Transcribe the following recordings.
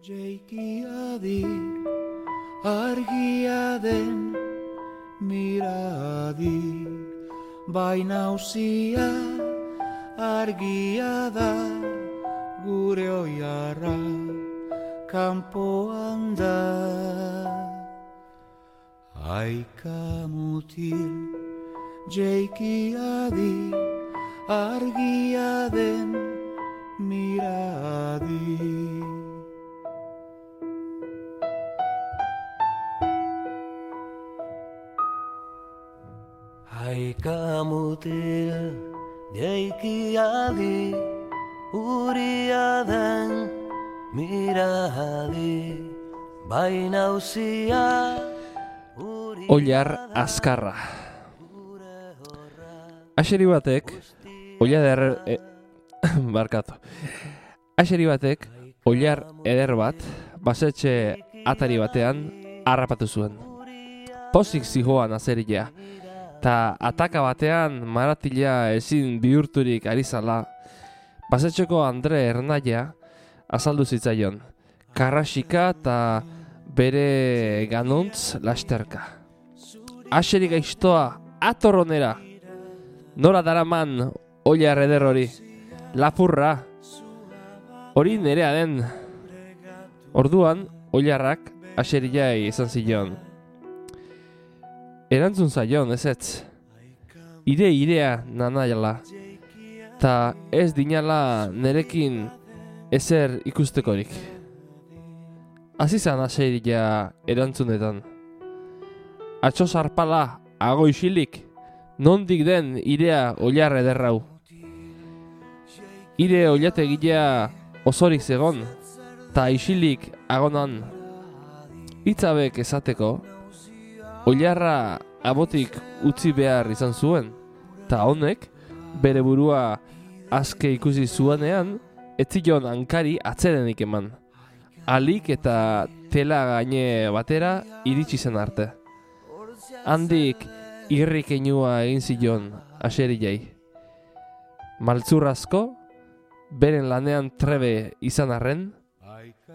Jeikiadi argia den miradi, baina uzia argia da gure oiarra kanpoan da. Aika mutil jeikiadi argia den miradi. Aika mutil jeikiadi uria den miradi, baina uzia Oilar azkarra. Axeri batek Axeri batek oilar eder bat basetxe atari batean harrapatu zuen. Pozik zihoan azeria, ta ataka batean maratila ezin bihurturik ari zala, basetxeko Andre Ernaia azaldu zitzaion, karrasika eta bere ganuntz lasterka. Axeri gaiztoa atorronera, nora daraman oilar eder hori, lapurra, hori nerea den. Orduan, oilarrak axeriai izan zion. Erantzun zaion, ezetz. Irea nanaiala, ta ez dinala nerekin ezer ikustekorik. Azizan axeria erantzunetan. Atxo zarpala, ago isilik, nondik den irea oilar ederrau. Ire oilategilea osorik zegon, ta isilik agonan. Hitzabek esateko, oilarra abotik utzi behar izan zuen, ta honek, bere burua aske ikusi zuanean, etzion hankari atzerenik eman. Alik eta tela gaine batera iritsi zen arte. Handik irrik einua egin zion axeriai. Maltzurrazko, beren lanean trebe izan arren,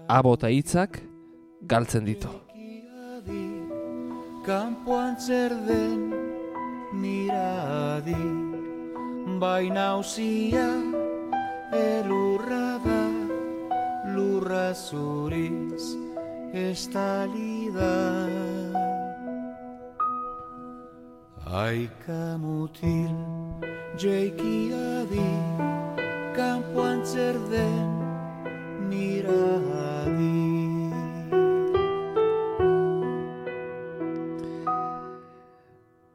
abota hitzak galtzen ditu. Kanpoan zer den miradi, baina uzia elurra da, lurra zuriz estali da. Aika mutil jeikiadi, kanpoan zer den miradi.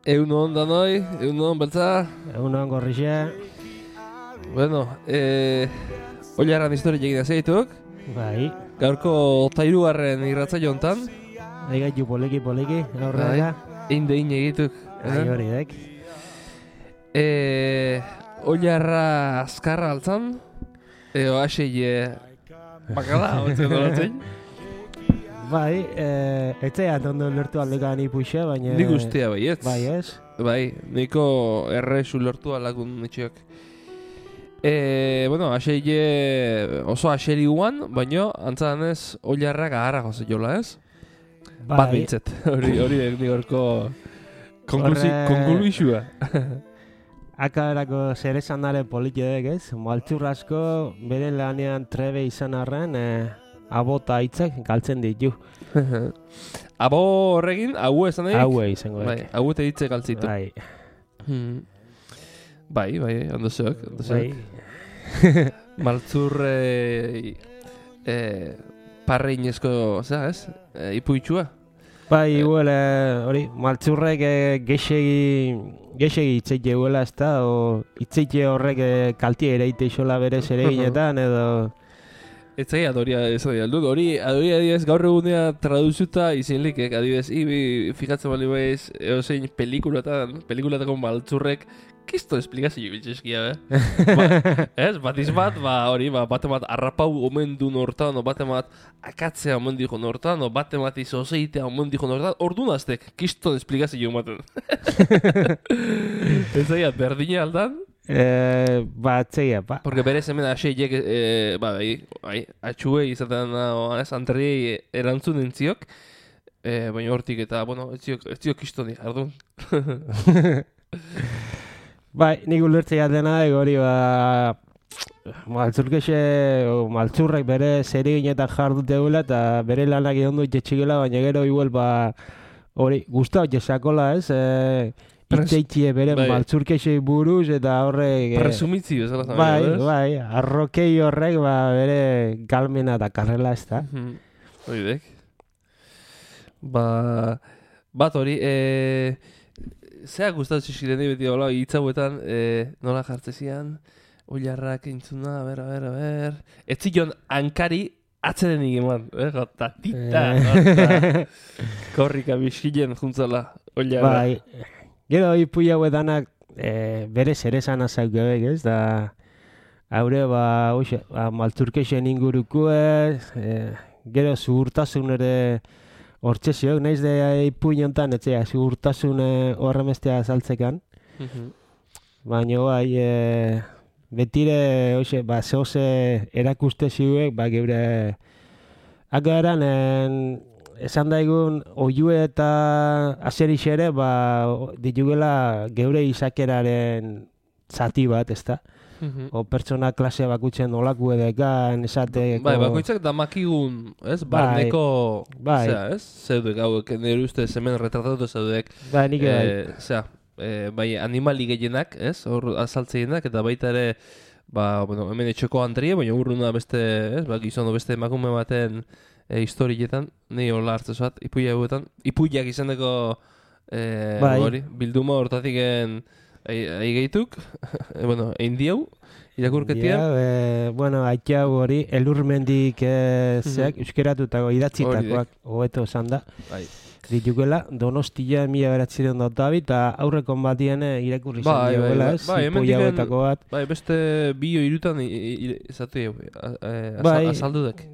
Egunon danoi, egunon beltza. Egunon gorrixe. Bueno, oilarran historia egin azeituk. Bai. Gaurko tairugarren irratzaio hontan. Aigaitu poliki, aurrera. Inde egituk. Ai hori dek. Oilarra azkarra altzan. Eo asei bakala, hotzen dolatzen. Bai, etzean ondo lertu aldekan ipuxe, baina... Nik ustea bai, ez? Bai, ez? Bai, niko errezu lertu alakun etxeak. Bueno, aseie oso aseri guan, baina antzadanez oilarrak aharra goze jola, ez? Bai. Bat bintzet, hori digorko konkluizua. Akaberako zer esan dara politedek, ez? Maltzurrazko beren lanean trebe izan arren, abota hitzak galtzen ditu. Abo horregin, hau esan egin? Hau izango dek. Bai, hau eta hitzek galtzitu. Bai. Bai, ondozeok. Bai. Maltzur parreinezko, zera, ez? Ipuitxua. Bai, igual, hori, maltzurrek gexegi itzeite guela, ez da, o itzeite horrek kaltia ereite isola berez ere ginetan, edo... Ez zai, adoria dut. Hori adibidez gaur egunea traduzuta izinlik, adibidez, fijatzen bali baiz, eozein pelikulatako maltzurrek, kisto esplikazio biltzeskia, ez? Batiz bat, hori, bate bat arrapau omen du nortan, bate bat akatzea omen dijo nortan, bate bat izozeitea omen dijo nortan, ordu naztek, kisto esplikazio ematen. Ez zai, berdina aldan, Atzeia, ba. Porque berez hemen aseiek, atxue izaten anterriei erantzun entziok, baina hortik eta, bueno, ez ziok kistoni, ardun. Bai, nik ulertzea dena, hori maltzurrek bere zeriginetan jarduteula eta bere lanak egon dut jetxigela, baina gero igual hori guztau jesakola ez, itxeitxie bere maltzurkexei buruz eta horrek... Presumitzio, ez ala bai, arrokei horrek bere galmena da karrela ez da. Hori dek. Bat hori, zea gustatzen zizkiren beti hola, hitzauetan nola jartzezian, oilarrak entzuna, ber. Ez zion hankari atzedenik eman, tatita, korrika biskilen juntzala, oilarra. Bai, gero ipu hauetanak bere zeresan azak gebek ez, da haure maltzurkexen inguruko gero zuhurtasun ere hortxeziok, nahiz de ipu inontan, etzea, zuhurtasun horremestea azaltzekan. Baina bai, betire, zehose erakuste ziuek, geure akaran, esan daigun, oiue eta azerix ere, ditugela geure izakeraren zati bat, ezta? O pertsona klasea bakutzen olaku edekan, esateko... Bai, bakoitzak damakigun, ez? Barneko, zera, ez? Zeudek, hauek, nire uste hemen retratatu zeudek. Bai, nik bai. Bai, animali gehienak, ez? Hor azaltzeinak, eta baita ere, hemen etxeko antrie, baina urruna beste, ez? Gizono beste emakume baten historietan, nahi hola hartzezoat, ipuia hauetan. Ipuiak izaneko, bilduma hortatiken... Aigeituk, eindiau, irakurketia. Aitzau hori, elurmendik zeak, euskeratutako idatzitakoak hobeto esan da. Ditukela, Donostia 1992 eta aurrekon batien irakurri izan diogela, ez? Ipoia hauetako bat. Bai, beste bio irutan izatu azaldudek.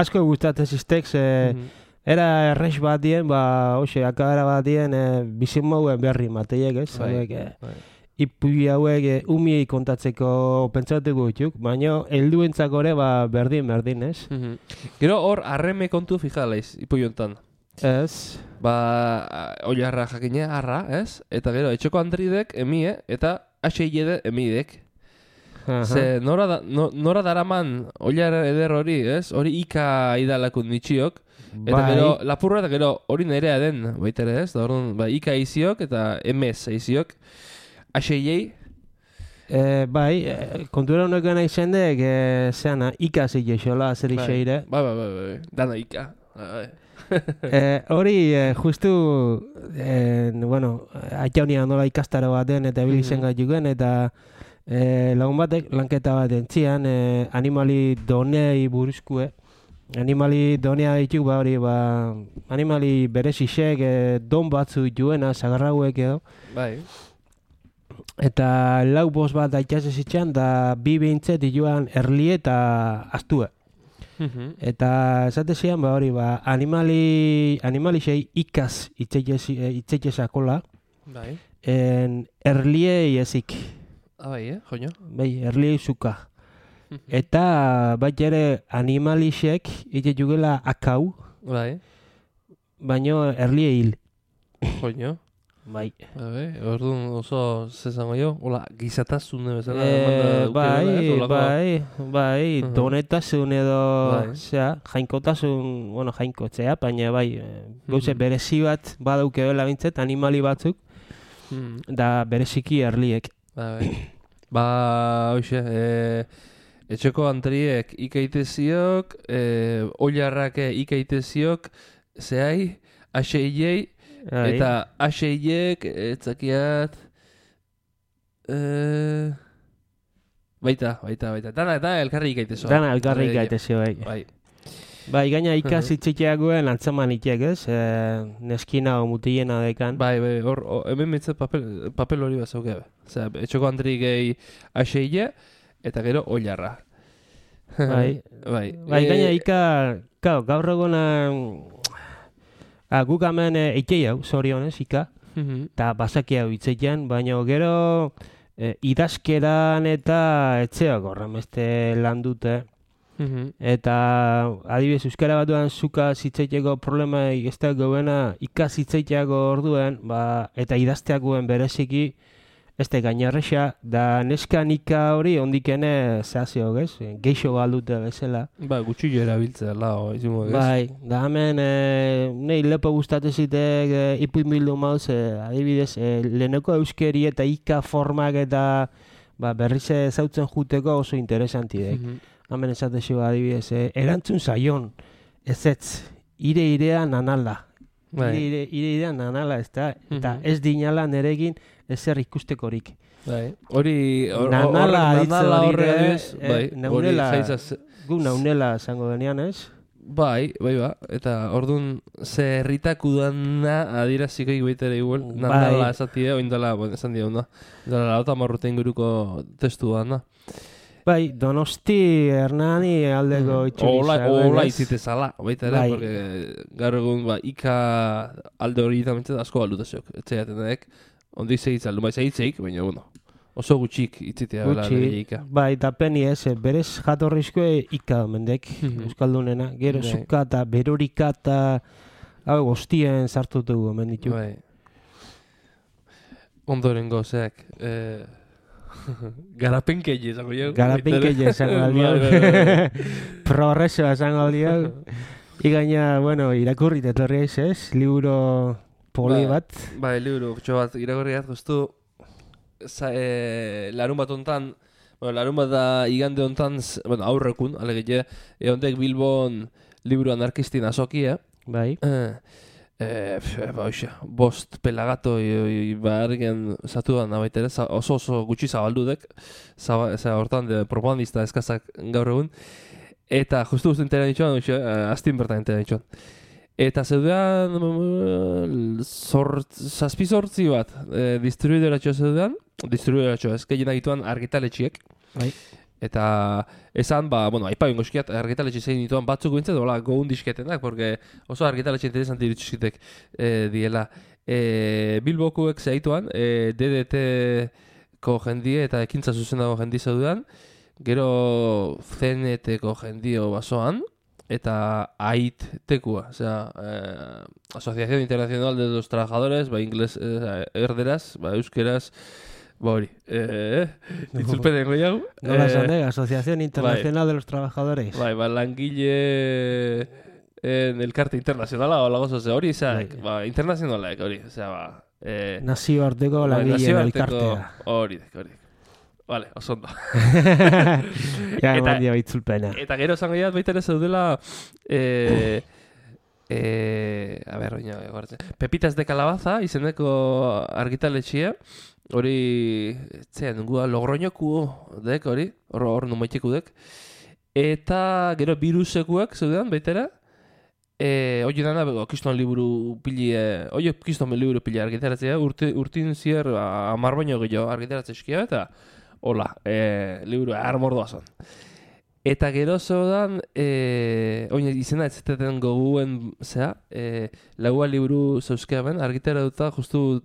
Asko gustatzen ziztek, era errex batien, akabara batien bizimouen berri mateiek, ez? Ipuia hauek umiei kontatzeko pentsatuko dituk, baina helduentzako ere berdin, ez? Gero hor arreme kontu fijalaiz, ipuiontan. Ez. Oilarra jakine, arra, ez? Eta gero, etxoko andridek, emie, eta aseilede emidek. Ze nora daraman oilar eder hori, ez? Hori ika idalakun nitxiok. Eta gero, lapurra eta gero hori nerea den, baita ere ez? Da orduan, ika eiziok eta emez eiziok. Aseiei? Kontura honekoen aizendek, zeana, ika zeikexola, zer iseire. Bai, dana ika. Hori, justu, aitaunia nola ikastaro baten eta bilizen gaitukuen, eta lagun batek lanketa bat entzian, animali donei buruzkue. Animali donea dituk, animali berezisek, don batzu dituena, zagarrauek edo. Bai. Eta lau bost bat aitaz ezitxan, da bi behintzet dituan erli eta astue. Eta esate zian, animalisei ikaz itzeikezakola. Bai. Erliei ezik. Bai, joño. Bai, erliei zuka. Eta bat ere animalisek itzetugela akau. Bai. Baina erlie hil. Joño. Bai. Orduan oso zezango jo, hola, gizatasune bezala. Bai, donetasun edo, jainkotasun, jainkotzea, baina gauze berezi bat badauke dela bintzet, animali batzuk, da bereziki erliek. Hoxe, etxeko antriek ikaiteziok, oilarrake ikaiteziok, zehai, aseiei, eta aseiek, etzakiat, baita. Dana elkarri ikaitezio. Dana elkarri ikaitezio, bai. Bai, gaina ikazitziteagoen antzaman itek, ez? Neskina o mutiena dekan. Bai, hemen mitzat papel hori bat zauke. Etxoko antri gehi aseile, eta gero oilarra. Bai, gaina gaur egona guk hemen eitei hau, zorionez, eta basaki hau itzeitean, baina gero idazkeran eta etxeak horremeste lan dute. Eta adibidez euskara batuan zuka zitzaiteko problema ez da gauena ikas zitzaiteko orduen, eta idazteakoen bereziki ez da gainarresa, da neska nika hori ondikene zehazio, ez? Geixo baldute bezala. Gutxillo erabiltzea, lao, izango, ez? Bai, da hemen nahi lepo gustatu zitek ipuinbildu mauz, adibidez, leheneko euskeri eta ika formak eta berriz zautzen juteko oso interesantidek. Hemen esatexo adibidez, erantzun zaion, ezetz, irea nanala. Irea nanala, ez da? Eta ez dinala neregin ezer ikustekorik. Hori, nanala horre, naunela, gu naunela zango denean, ez? Bai, eta orduan ze herritak udana adiraziko iguitere igual, nanala esatie, oindala, esan dira, dala lauta marrute inguruko testu da, Bai, Donosti Hernani aldeko itxuri zagoen. Ola izite zala, baita ere, porque gaur egun ika alde hori itamentzen asko balutazioak. Etxeaten daek, ondi segitza aldu, segitzeik, baina, oso gutxik itzitea bela ika. Bai, eta peni ez, berez jatorrizkoe ika mendek, euskaldunena. Gero zuka eta berorika eta gostien sartutugu, menditu. Bai. Ondoren gozeak, Garapenkeile esango jau. Garapenkeile esango aldiau. Progresoa esango aldiau. Igaina, irakurrit etorri ez, libro poli bat. Bai, libro bat irakurri guztu. Larun bat ontan, larun bat da igande ontan, aurrekun, alegile, eondek Bilbon libro anarkistin azokia. Bai. Bost pelagato bargen zatu da nabaitere, oso gutxi zabaldudek, hortan propagandista eskazak gaur egun, eta justu entera ditxoan, astin bertan entera ditxoan. Eta zeudean, zazpizortzi bat, distribuidoratxoa zeudean, distribuidoratxoa ez, gehien agituan argitaletxiek. Bai. Eta esan, aipa bingo eskiat argitaletxe zein dituan batzuk bintzen, gogun disketenak, porque oso argitaletxe interesanti irutxuzitek diela. Bilbokuek zeituan, DDT-ko jendie eta ekintza zuzendago jendi zeudean, gero CNT-ko jendio basoan, eta AIT-tekua, Asociación Internacional de los Trabajadores, inglés, erderaz, euskeraz, hori, itzulpenen goiago. Nola esan Asociación Internacional de los Trabajadores. Langile elkarte internazionala, lagozo ze hori, internazionalak hori, nazioarteko langileen elkartea. Hori. Vale, oso ondo. Eta itzulpena. Eta gero zango jat baita ere zeudela, Pepitas de Calabaza, izeneko argitaletxea, hori, Logroñoku dek, hor numaiteko dek. Eta gero birusekuak zeudean, baitera. Hoi dana, kiston liburu pili argitaratzea, urtin zier 10 baino gehiago argitaratzea eta hola, liburu armordoa zon. Eta gero zeudan, izena ez zeten goguen, laua liburu zeuzkea ben, argitara duta, justu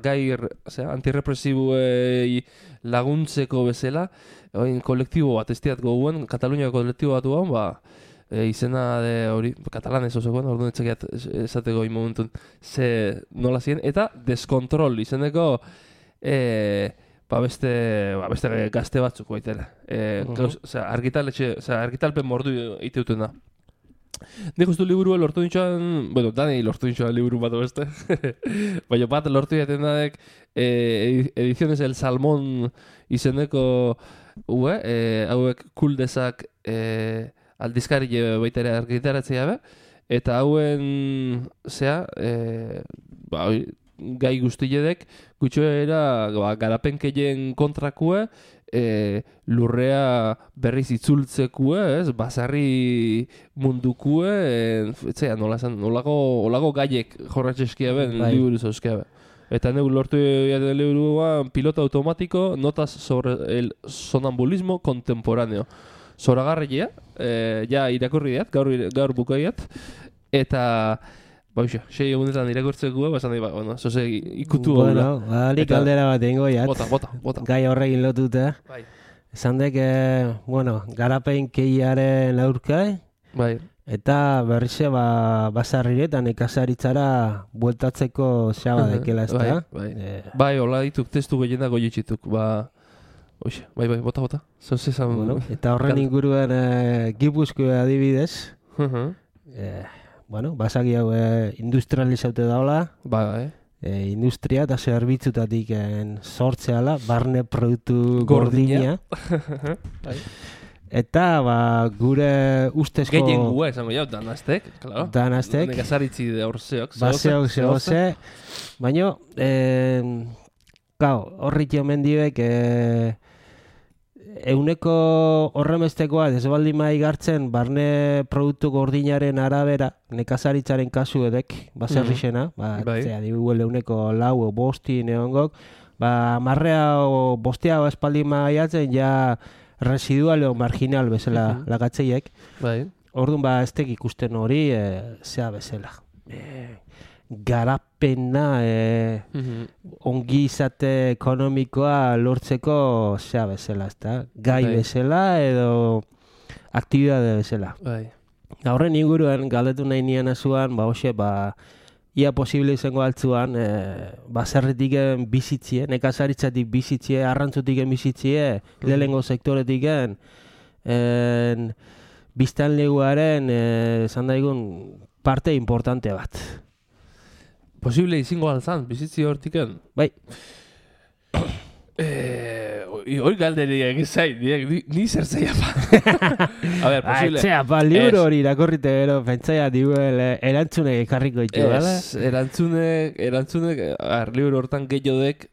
gai antirrepresibuei laguntzeko bezala, kolektibo bat estiat goguen, Kataluniako kolektibo bat duan, izena hori, katalanez osokoan, orduan etxekiat esateko momentun nola ziren, eta deskontrol izeneko, beste gazte batzuk baitela. Argitalpen mordu iteuten da. Nik ustu liburua lortu nintxoan, danei lortu nintxoan liburu bat beste. Baina bat lortu jaten dadek Ediciones El Salmón izeneko hauek kuldezak aldizkari baita ere argitaratzea be, eta hauen gai guztiedek gutxoera garapenkeien kontrakue, lurrea berriz itzultzekue, basarri mundukue, nolako gaiek jorratxeskia ben, liburu zauzkia ben. Eta neu lortu jaten liburua piloto automático, notas sobre el sonambulismo contemporáneo. Zoragarria, ja irakurri diat, gaur bukaiat, eta Bauxa, 6 egunetan irakurtzeko, basan nahi, bueno, zoze ikutu Bueno, alik Eta- aldera bat egingo jat. Bota. Gai horrekin lotuta. Bai. Esan dek, bueno, garapen keiaren aurka, Bai. eta berrize basarriretan ekasaritzara bueltatzeko xaba dekela, ez da? Bai, hola dituk, testu gehienak goietxituk, Oixe, bai, bota. Zoze zan... Bueno, eta horren inguruen Gipuzkoa adibidez, bueno, basaki hau industrializaute daula, Bai, industria eta zerbitzutatik sortzeala, barne produktu gordina. Bai. Eta gure ustezko... Gehien gua esango jau, danaztek, claro. Danaztek. Nekazaritzi de horzeok. Baseok zehoze. Baina, horrik jomen diek, euneko horremestekoa desbaldin mai gartzen barne produktu gordinaren arabera, nekazaritzaren kasu edek, baserrixena, Bai. adibidez euneko lau o bosti neongok, marrea o bostea o espaldin maiatzen ja residual o marginal bezala lagatzeiek. Bai. Orduan ez tek ikusten hori zea bezala. Garapena ongi izate ekonomikoa lortzeko zea bezala, ezta? Gai Bai. bezala edo aktibitate bezala. Bai. Horren inguruan galdetu nahi nian azuan, hoxe, ia posible izango altzuan, baserritik bizitzie, nekazaritzatik bizitzie, arrantzutik bizitzie, lehenengo sektoretik biztanleguaren, esan daigun, parte importante bat. Posible izango altzan, bizitzi hortiken? Bai. Hoi galderi egin zait, ni zer zeia pa. A ber, posible... Aitzea, libro hori irakorrite gero, pentsaia diuel, erantzunek ekarriko ditu, bala? Ez, erantzunek, libro hortan gehiodek,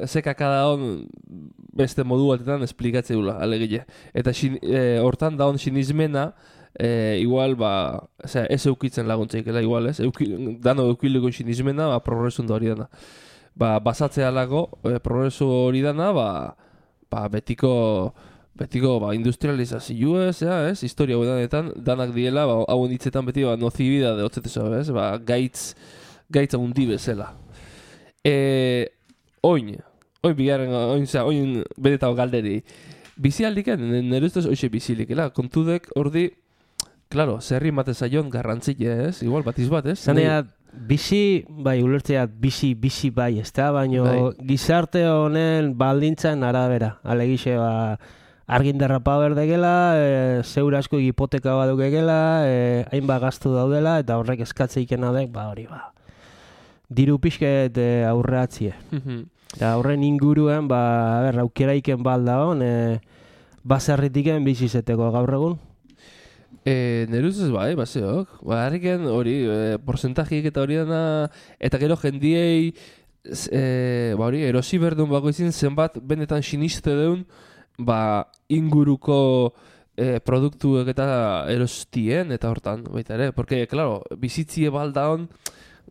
zekaka daun beste modu batetan esplikatze dula, alegile. Eta hortan daun sinismena, igual, ez eukitzen laguntzeikela, igual, ez? Dano eukileko sinismena, progresun da hori dana. Basatzea lago, progresu hori dana, betiko industrializazioa, ez? Historia gudanetan, danak diela, hauen hitzetan beti, nocibidade hotzetezo, ez? Gaitz haundi bezala. Oin bedetao galderi. Bizialdiken, nire ustez hoxe bizilikela. Kontudek, ordi, claro, zerri mate zaion garrantzile, ez? Igual, batiz bat, ez? Zanea, bizi, ulertzeat bizi bai, ez da? Baina gizarte honen baldintzan arabera. Alegixe, argindarra power degela, zeur asko hipoteka bat dukegela, hainbat gastu daudela, eta horrek eskatzeikena dek, hori diru pixket aurreatzie. Eta horren inguruen, aukeraiken balda hon, baserritiken bizizeteko gaur egun. Nire ustez baseok. Harriken hori, porcentajiek eta hori dana, eta gero jendiei, erosi berdun bako izin, zenbat benetan siniste deun, inguruko produktuek eta erostien, eta hortan, baita ere. Porque, claro, bizitzie balda hon,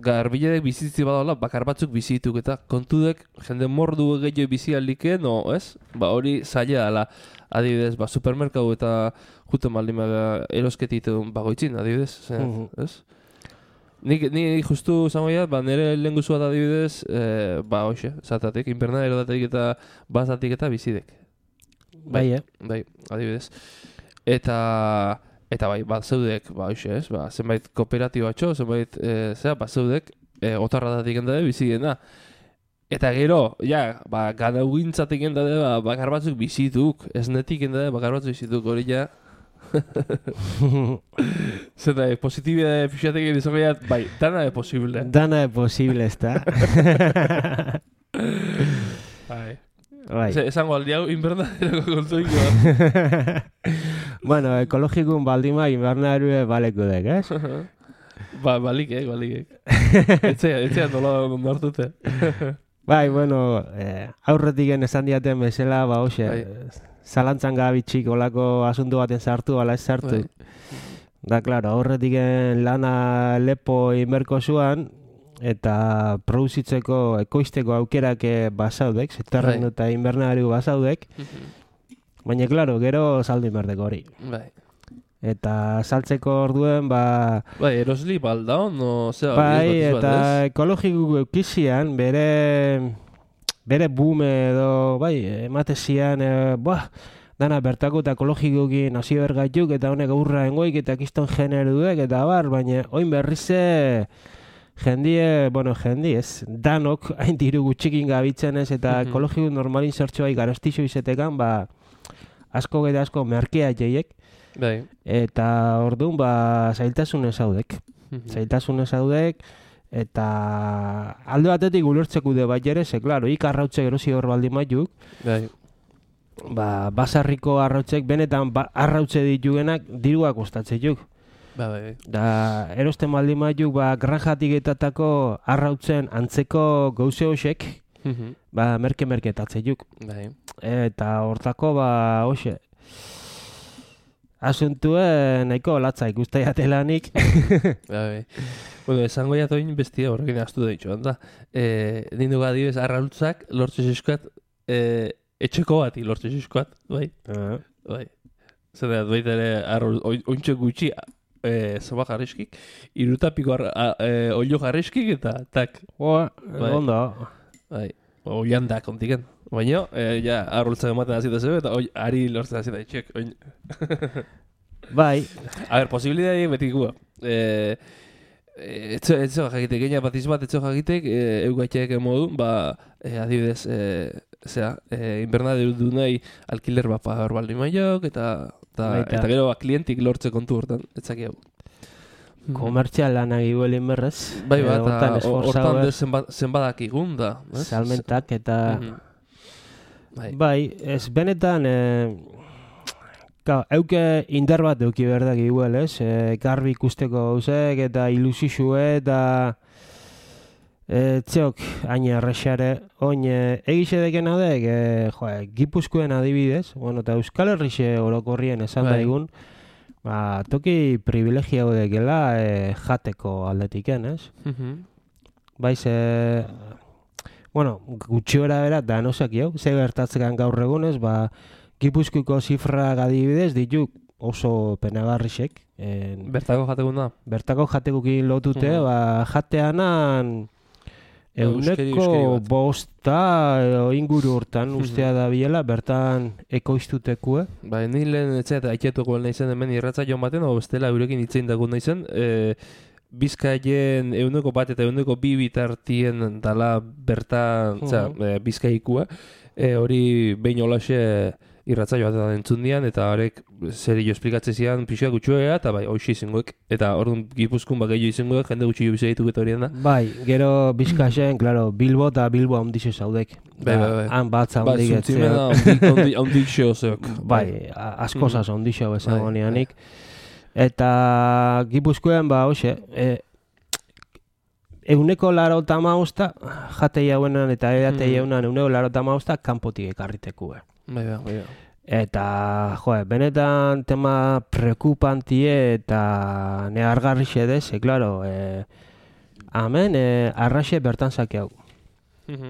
garbiledek bizitzi badaola, bakar batzuk bizituk eta kontudek jende mordu gehiago bizialdike, no, ez? Hori zaila dela, adibidez, supermerkau eta juten baldin erosketitun bagoitzin, adibidez, ez? Ni justu zangoia, nire lehen guzuat adibidez, hoxe, zatatik, invernadero datik eta bazatik eta bizidek. Bai, adibidez. Eta bat zeudek, hoxe, ez? Zenbait kooperatibatxo, zenbait, bat zeudek, otarra datik endade bizidena. Eta gero, gana ugintzatik endade, bakar batzuk bizituk, ez netik endade, bakar batzuk bizituk, hori Zeta, positibidade fixatek egin izan dana de posible. Dana de posible, ez da. Esango aldi hau invernaderoko kontuiko. Bueno, ekologikun baldima invernaderue baleko dek, ez? Balikek. Etzea nola hartute. Bueno, aurretik esan diaten bezala, hoxe, zalantzan gabitxik olako asuntu baten sartu, ala ez sartu. Da, klaro, aurretik lana lepo inberko zuan, eta produzitzeko, ekoizteko aukerak basaudek, sektorren eta invernadariu basaudek, baina, klaro, gero saldu inberdeko hori. Eta saltzeko orduen, ba... Bai, erosli baldaon, no, zera, Bai, eta ekologiko eukizian, bere bume edo, bai, emate zian, dana bertako eta ekologikoki nazio bergaituk, eta honek aurra engoik, eta kiston generuek, eta bar, baina oin berrize jendie, ez, danok, hain diru gutxikin gabitzen ez, eta ekologiko normalin zertxoa garastixo izetekan, ba, asko eta asko merkea jeiek, bai. eta orduan, ba, zailtasunez haudek. Zailtasunez haudek, eta alde batetik ulertzeko de bai ere, ze, klaro, arrautze gerozi hor baldin maituk, Bai. ba, basarriko arrautzek, benetan arrautze ditugenak dirua kostatzetuk. Bai. Da, erosten baldin maituk, ba, granjatik etatako arrautzen antzeko gauze hoxek, ba, merke etatzetuk. Bai. Eta hortako, ba, hoxe, asuntue nahiko latza ikustea jatelanik. Bai. Bueno, esango jatoin bestia horrekin astu da ditxoan da. Nindu gadibez, arrautzak lortze zizkoat, etxeko bati lortze zizkoat, bai? Bai. Zer baita ere, ointxe gutxi, zoba jarreskik, irutapiko olio jarreskik eta tak. Bai. Ondo. Bai. Oian da kontiken. Baina, ja, arrultzak ematen hazita zebe, eta ari lortzen hazita itxek. Bai. A ber, posibilidade betik gua. Etxo jakitek, gaina batiz bat etxo jakitek, eugatxeak modu, ba, adibidez, inbernaderu du nahi alkiler bat pagar baldin maiok, eta gero klientik lortze kontu hortan, etzaki hau. Komertzial lanak iguelin berrez. Bai bat, hortan zenbadak igun da. Salmentak eta... Bai, ez benetan... Euke indar bat euki berdak iguel, ez? Garbi ikusteko gauzek eta ilusixue eta... Txok, hain arrexare, oin egixe deken adek, Gipuzkoen adibidez, bueno, eta Euskal Herrixe orokorrien esan daigun, ba, toki privilegia dekela jateko aldetiken, ez? Baiz, bueno, gutxiora bera, da nosak jau, ze gertatzekan gaur egunez, ba, Gipuzkoiko zifra adibidez dituk oso penagarrixek. Bertako jatekun da? Bertako jatekokin lotute, ba, jateanan... Euneko bosta inguru hortan ustea da biela, bertan ekoiztutekue. Ba, ni lehen eta aiketuko nahi zen hemen irratza joan baten, o bestela eurekin hitzein dago nahi zen, Bizkaien euneko bat eta euneko bi bitartien dala bertan Bizkaikua, hori behin olaxe irratza joatetan entzun dian, eta horrek zer jo esplikatzen zian pixoak gutxuea, eta bai, hoxi izengoek. Eta orduan Gipuzkoan gehiago izengoek, jende gutxi jo bizaituk eta horien da. Bai, gero Bizkaien, klaro, Bilbo eta Bilbo handixe zaudek. Bai. Han batza handik etzea. Bai, handik zeok. Bai, askozaz handik zeo esan honianik. Eta Gipuzkoan, ba, hoxe, euneko laro tamausta, jatei hauenan eta edatei hauenan euneko laro tamausta, kanpotik ekarritekue. Bai. Eta, benetan tema prekupantie eta nehargarrixe dez, klaro, hemen arraxe bertan zake hau.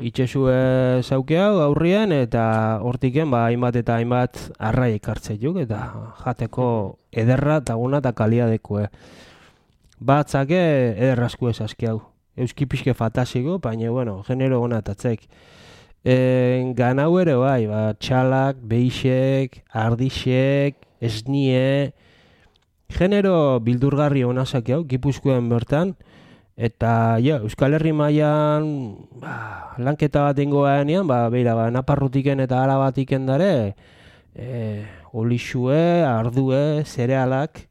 Itxesue zauke hau aurrien eta hortiken ba, hainbat eta hainbat arrai ekartze juk eta jateko ederra eta guna eta kaliadekue. Batzake ederrazku ezazki hau. Euski pixke fataziko, baina, bueno, genero gona atatzek. Ganau ere bai, ba, txalak, beixek, ardixek, esnie, genero bildurgarri honazak hau, Gipuzkoan bertan, eta Euskal Herri mailan ba, lanketa bat ingoanean, ba, beira, ba, Naparrutiken eta Arabatiken dare, olixue, ardue, zerealak,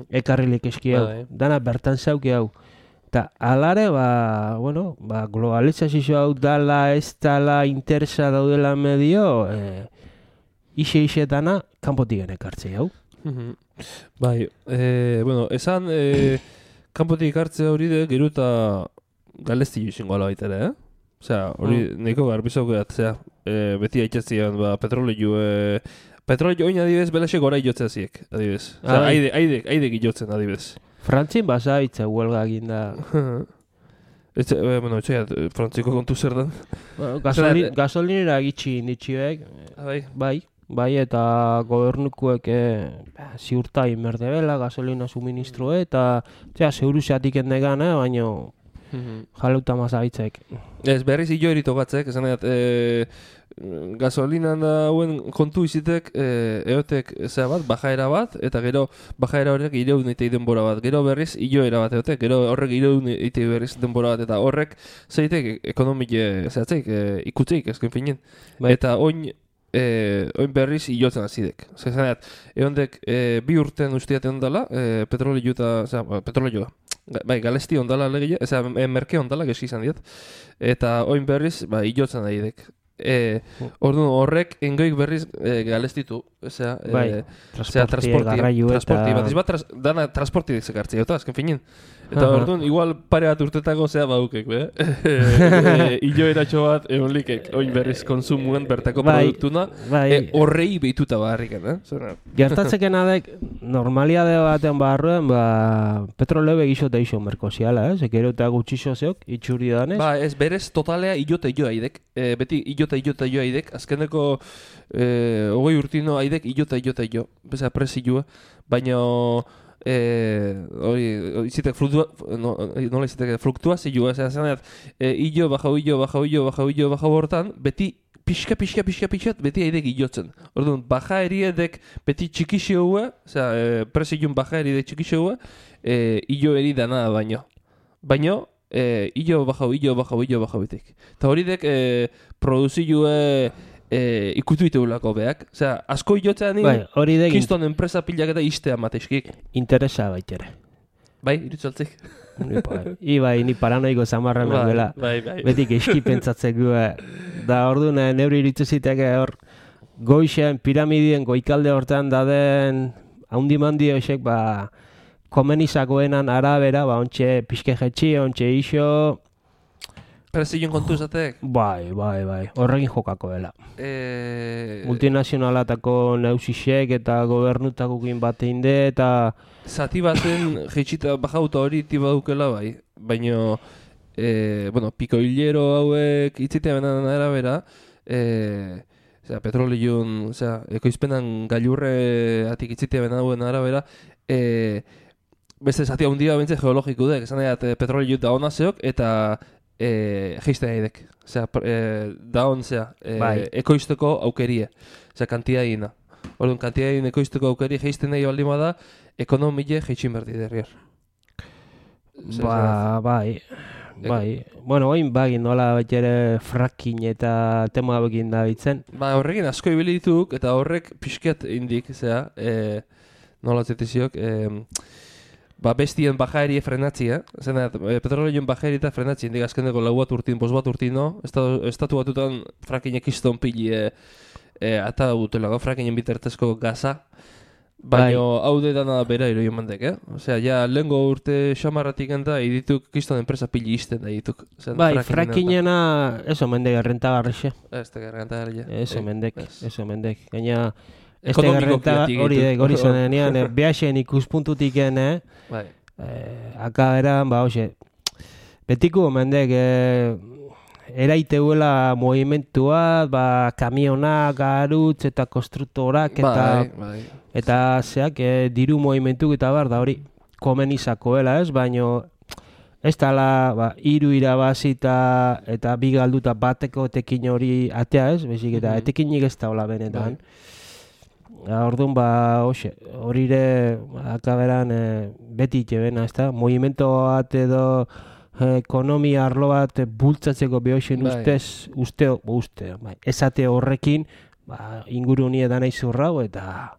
ekarrilik eski hau, dana bertan zauke hau. Eta alare, ba, bueno, ba, globalizazio hau dala, ez dala, interesa daudela medio, ixe-ixetana, kanpotik ekartze hau. Bai, bueno, esan, kanpotik ekartze hori de, gero eta galezti izango ala baita ere, Osea, hori nahiko garbizauko atzea, beti aitzazian, ba, petrolio oin adibidez, belaxe gora iotzea ziek, adibidez. Osea, aidek iotzen adibidez. Frantzin basaitza huelga egin da. Bueno, etxeat, frantziko kontu zer den. Gasolinera gitxi inditxiek. Bai. bai, eta gobernukuek ziurta inberdebela, gasolina suministroe, eta zeuru zeatik endegan, baino jaleuta mazabitzek. Ez, berriz hilo eritogatzek, esan gasolinan dauen kontu izitek eotek zea bat, bajaera bat, eta gero bajaera horrek ireun eitei denbora bat, gero berriz hiloera bat eotek, gero horrek ireun eitei berriz denbora bat, eta horrek zeitek ekonomile zehatzeik, ikutzeik, ezken finen. Bai. Eta oin berriz hilotzen azidek. Zanet, eondek 2 urten ustiat ondala, petrolio eta, petrolioa. Bai, galesti ondala legile, merke ondala, geski izan diat. Eta oin berriz, hilotzen daidek. Orduan horrek engoik berriz galestitu, bai, transporti bat dana transporti dezekartzea, eta azken finin. Eta orduan igual pare bat urtetako badukek, hiloeratxo bat eonlikek, oin berriz konsumuen bertako produktuna, horrei behituta barriken, Gertatzeken adek, normaliade baten barruen, petroleo begixo teixo merkoziala, ekero eta gutxixo zeok, itxurri danez. Ez berez totalea hilota hilo haidek, beti hilota hilo haidek, azkeneko 20 urtino haidek hilota hilo, beza presilua, baina hori izitek nola izitek fluktuazioa, zanet, hilo, baja hortan, beti pixka, beti haidek hilotzen. Orduan, baja eriedek beti txikixeua, presilun baja eriedek txikixeua, hilo eri dana baino. Baino, hilo, baja bitek. Eta hori dek produzioa ikutu iteulako behak. Osea, asko hilotzean kiston enpresa pilak eta istea mateixkik. Interesa baitere. Bai, irutzaltzik. Bai, ni paranoiko zamarran nagoela. Betik eski pentsatzeko. Da orduan neuri irituziteke hor goixen piramidien goikalde hortan daden haundimandi hoxek komenizakoenan arabera, ontxe pixke jetxi, ontxe iso. Prezioen kontu zatek? Bai, horrekin jokako dela. Multinazionalatako neusisek eta gobernutakokin bateinde eta... Zati baten jetxita bajauta hori tiba dukela bai, baina pikoilero hauek itzitea benan arabera, petrolion, ekoizpenan gailurre atik itzitea benan hauen arabera, beste zati handia bentze geologiko dek, esan edat petrolio da hona zeok eta geizten haidek. Daon ekoizteko aukerie, kantidaina. Orduan, kantidain ekoizteko aukerie geizten nahi baldima da, ekonomile geitxin berdi derriar. Bai. Bueno, oin bagin nola betxere fracking eta tema begin da bitzen. Horrekin asko ibili dituk eta horrek pixket indik, nola zetiziok, bestien bajaerie frenatzia, petrolioen bajaerie eta frenatzia, indik azkeneko 4 urtin, 5 urtin, estatu batutan frackinek iston pili ata dutela, frackingen bitertezko gaza, baina haude dana bera iroio mandek, Osea, lehengo urte xamarratik enta edituk kiston enpresa pili izten da edituk. Frackingena, eso mendek errentagarrixe. Ez teka errentagarrixe. Eso mendek. Gaina, ez teka errentagarrixe, hori zanean, behaxen ikuspuntutik aka eran, betiko mendek, eraiteuela movimentua, kamionak, garutz eta konstruktorak eta zeak diru movimentuk eta da hori komenizakoela baino ez dala hiru irabazi eta bi galduta bateko etekin hori atea bezik eta etekinik ez da hola benetan. Orduan hori ere akaberan beti itxebena, movimento bat edo ekonomia arlo bat bultzatzeko behoxen uste, esate horrekin inguru nie da nahi zurrau eta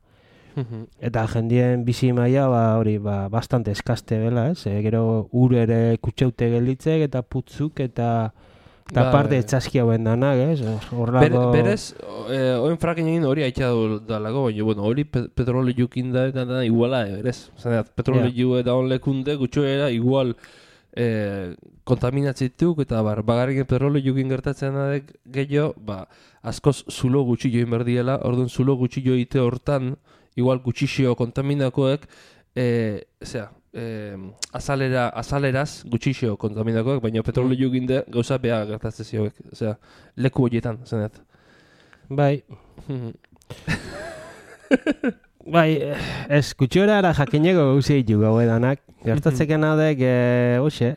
jendien bizi maila hori bastante eskaste bela, gero ur ere kutxeute gelditzek eta putzuk eta parte etxaski hauen danak, Berez, oen frakin egin hori haitxa dalago, baina hori petrolio jukin da eta iguala, berez. Petrolio eta on lekunde gutxoera igual kontaminatzituk eta bagarriken petrolio jukin gertatzen adek gehiago, askoz zulo gutxi join berdiela, orduan zulo gutxi joite hortan, igual gutxixio kontaminakoek, azaleraz gutxixio kontaminakoek, baina petrolio jukin de gauza beha gertatzen zioek, leku horietan, zenet. Bai. Bai, ez, kutxora ara jakineko gauzi ditu gau edanak. Gertatzeken adek, hoxe,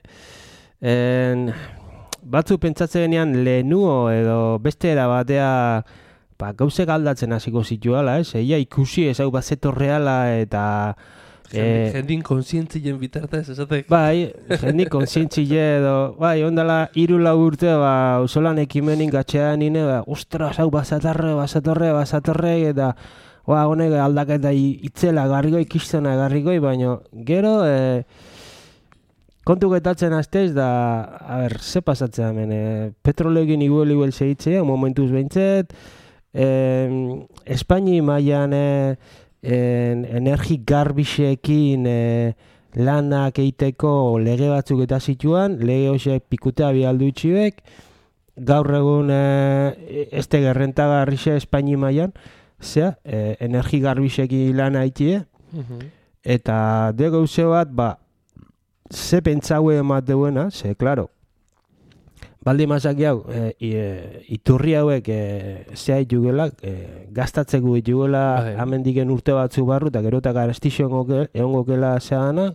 batzu pentsatzen genean lehenuo edo beste era batea gauzek aldatzen hasiko zituala, ez? Eia ikusi ez hau bazetorreala eta... Jendin konsientzien bitartez, esatek. Bai, jendin konsientzile edo... Bai, ondala 3-4 urte, usolan ekimenin gatxean nine, ostras, hau bazatorre, eta... honek aldaketa itzela garrigoi, kistona garrigoi, baina gero... kontu getatzen aztez da... A ber, ze pasatzen hemen, petroleogin iguel segitzea, momentuz behintzet... Espaini mailan energi garbixekin lanak eiteko lege batzuk eta zituan, lege hoxek pikutea bialdu itxibek, gaur egun este gerrentagarrixe Espaini mailan, zea, energi garbixekin lana aitie, eta de gauze bat, ze pentsaue emateuna, ze, klaro, baldi mazaki hau, iturri hauek zea itugela, gastatzeko itugela amendiken urte batzu barru, eta gero eta garestizio egon gokela zeana,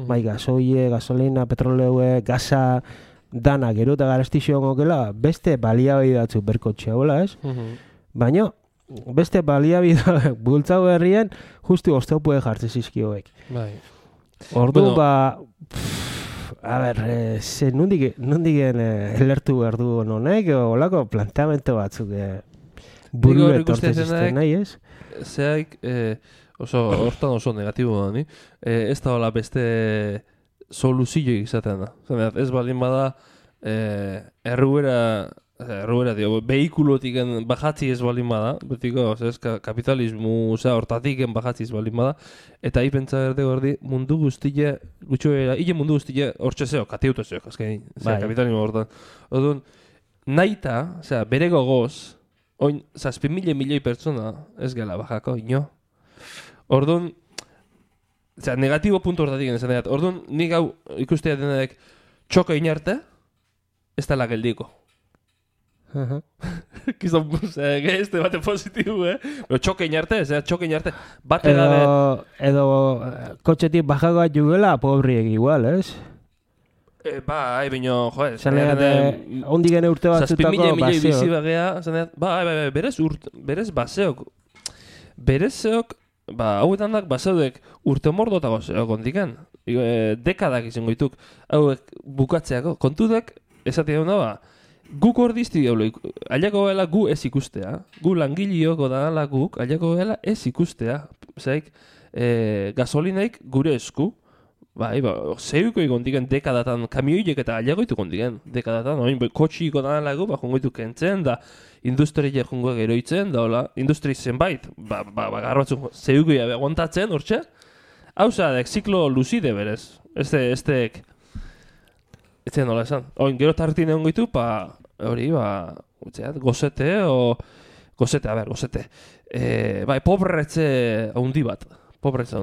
bai gasoile, gasolina, petroleue, gaza, dana gero eta garestizio egon gokela, beste baliabide batzu berkotxea hola, ez? Baina, beste baliabide bultzau herrien, justu oztopue jartze zizkioek. Ordu, a ber, nondigen elertu behar du honek, olako planteamento batzuk buru etortzen zizten nahi, ez? Zeaik, hortan oso negatibo da, ni? Ez da hola beste soluzio izaten da. Ez balin bada, erruera dio, behikulotiken bajatzi ez balin bada, betiko, kapitalismu hortatiken bajatzi ez balin bada, eta hi pentsa berde gordi, mundu guztile, hile mundu guztile hortxe zeo, katiutu zeo, azkein, kapitalismu hortan. Odun, naita, bere gogoz, oin, 7.000 milioi pertsona ez gela bajako, ino. Orduan, negatibo puntu hortatik esan dut, orduan, nik hau ikustea denak txoko inarte, ez dela geldiko. Kizan, este bate positibo, pero txoke inarte, txoke inarte. Edo kotxetik bajagoa jugela, pobriek igual, ez? Bino, joder. Ondi gene urte batzutako baseo. Berez baseok. Berezeok, hauetan dak baseodek urte mordotago zeok ondiken. Dekadak izango dituk. Hauek bukatzeako. Kontudek, esatik da, guk hor dizti diablo, aliako gela gu ez ikustea, gu langilioko da guk, aliako gela ez ikustea, zaik, gasolinaik gure esku, zeuko ikondiken dekadatan, kamioiek eta aliako itu kondiken, dekadatan, kotxiko da gu, jongo itu kentzen, da industria jongo geroitzen, da hola, industri zenbait, garbatzun, zeuko jabe aguantatzen, hortxe, hau zadek, ziklo luzide berez, estek, etzen nola esan. Gero tartin egon gitu, hori, gozete, gozete. Pobretze haundi bat. Pobretze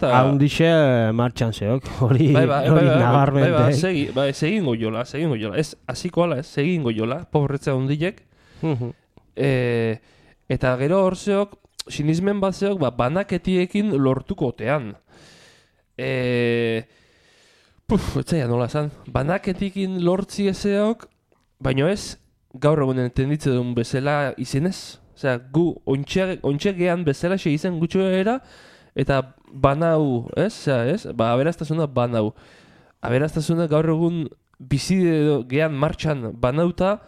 haundixe martxan zeok. Hori nabarmente. Segingo jola. Ez, hasiko ala, segingo jola, pobretze haundilek. Eta gero hor zeok, sinismen bat zeok, banaketiekin lortuko otean. Etzaia nola esan, banaketikin lortzi ezeok, baino ez, gaur egunen entenditze duen bezala izenez. Osea, gu ontxe gehan bezala xe izen gutxoera, eta banau, ez? Aberaztasuna banau. Aberaztasuna gaur egun bizide gehan martxan banauta,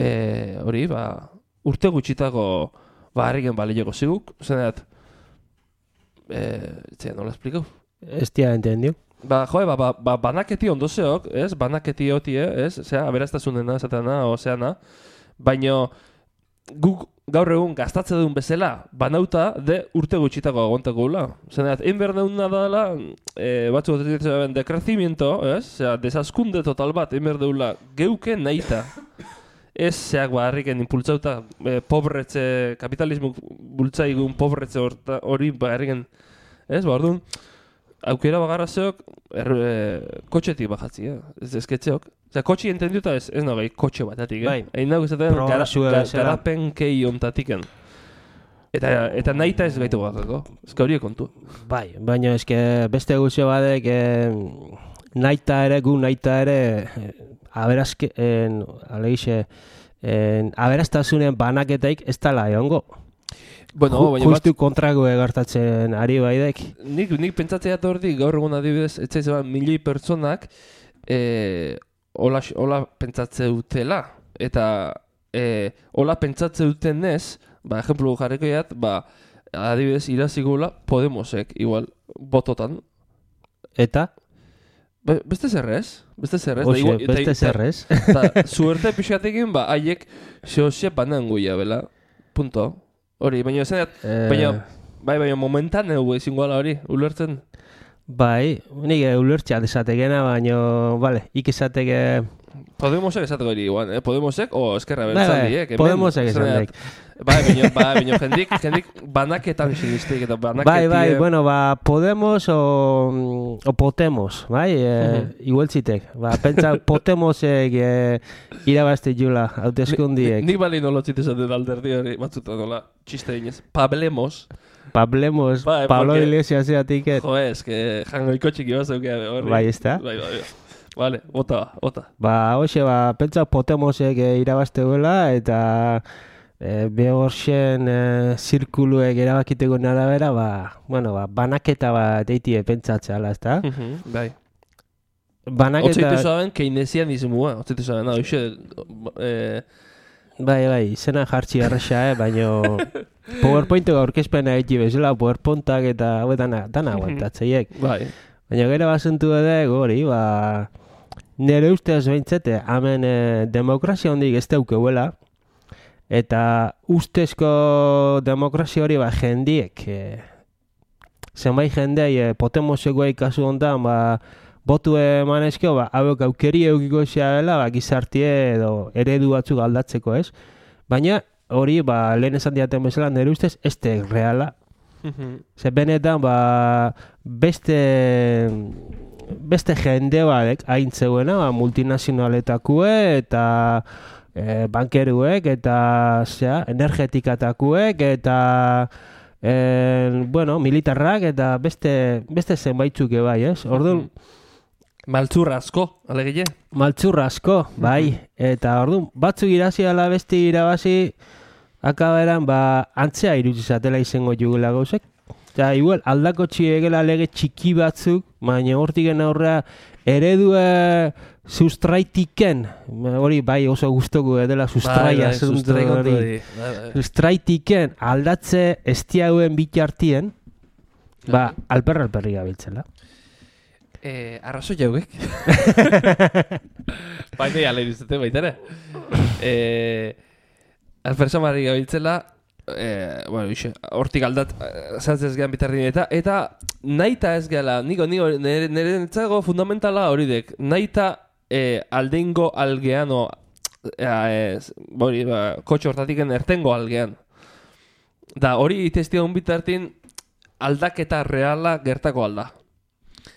hori, urte gutxitako harriken balileko ziguk. Zeneat, etzaia nola esplikau? Ez tia entendio. Banaketi ondo zeok, ez? Banaketi otie, ez? Aberaztasunena, esatena, ozeana. Baina guk gaur egun gastatze duen bezala banauta de urte gutxitako agontako gula. Zeneat, einber deuna dela, batzu gotetzen dekrecimiento, ez? Desaskunde total bat, einber deula geuke nahita. Ez zeak harriken impultzauta pobretze, kapitalismo bultzaigun pobretze hori harriken, ez? Orduan, aukera bagarra zeok, kotxetik bajatzia, ez esketzeok. Osea, kotxi entenduta ez nagai kotxe batatik, Bai. Egin dago izaten Progresua bezala. garapen kei ontatiken. Eta nahita ez gaitu bakako, ezka horiek kontu. Bai, baina eske beste guzio badek naita ere aberazke, aberastasunen banaketaik ez tala egongo. Bueno, baina Justu kontrago egartatzen ari baidek. nik pentsatzea tordi gaur egun adibidez, etzaiz milioi pertsonak hola pentsatze dutela. Eta hola pentsatze dutenez, ejemplu jarriko jat, adibidez irazigula Podemosek, igual, bototan. Eta? Beste zerrez. Beste zerrez. Suerte pixatekin, haiek zehose banan guia, bela. Punto. Hori, baina esan baina momentan ezingo ala hori, ulertzen? Bai, nik ulertxeat esatekena, baina, bale, ikizateke... Podemosek esateko hori, Podemosek, eskerra bertzaldiek. Podemosek esatek. Baina jendik banaketan sinistik eta banaketik... Bai, bueno, Podemos o Potemos, bai, igueltzitek. Pentsa Potemosek irabazte jula, hauteskundiek. Nik bali nolotzit esaten alderdi hori, batzuta nola, txiste inez. Pablemos, Pablo Iglesias eatik. Jo, que jangoiko txiki bat zeukea horri. Bai, ez da? Bai. Vale, ota. Hoxe, pentsa Potemosek irabazte duela, eta behorxen zirkuluek erabakiteko arabera, banaketa bat eitie pentsatzea, ez da? Bai. Banaketa... Otzaitu zaben keynesianismoa, otzaitu zaben, hoxe... Bai, izena jartzi erresa, baina PowerPointek aurkezpena eki bezala, PowerPointak eta dana aguantatzeiek. Bai. Baina gero bazentu edo hori, nire ustez behintzete, hemen demokrazia hondik ez daukeuela, eta ustezko demokrazia hori jendiek, zenbait jendei Potemosekoa kasu hontan, botu emanezko, hauek aukeri eukiko dela, gizartie edo eredu batzuk aldatzeko, ez? Baina hori, lehen esan diaten bezala, nire ustez, ez da reala. Ze benetan, beste jende badek haintzeuena, multinazionaletakue eta bankeruek eta energetikatakuek eta militarrak eta beste zenbaitzuk bai, ez? Orduan, maltzurra asko, alegile? Maltzurra asko, bai. Eta orduan, batzuk irazi ala beste irabazi akaberan antzea irudizatela izango jugula gauzek. Eta igual aldako txiegela lege txiki batzuk, baina hortiken aurrea eredue sustraitiken, hori bai oso guztoko dela sustraia sustraitiken aldatze estiauen bitartien, alperri gabiltzela. Arrazo jauek. Baina jale irizate baitare. Alpersamari gabiltzela, hortik aldat zantzez gehan bitardin eta naita ez gehala, nire netzago fundamentala hori dek, naita aldeingo algeano, kotxe hortatiken ertengo algean. Da hori itestia bitartin aldaketa reala gertako alda.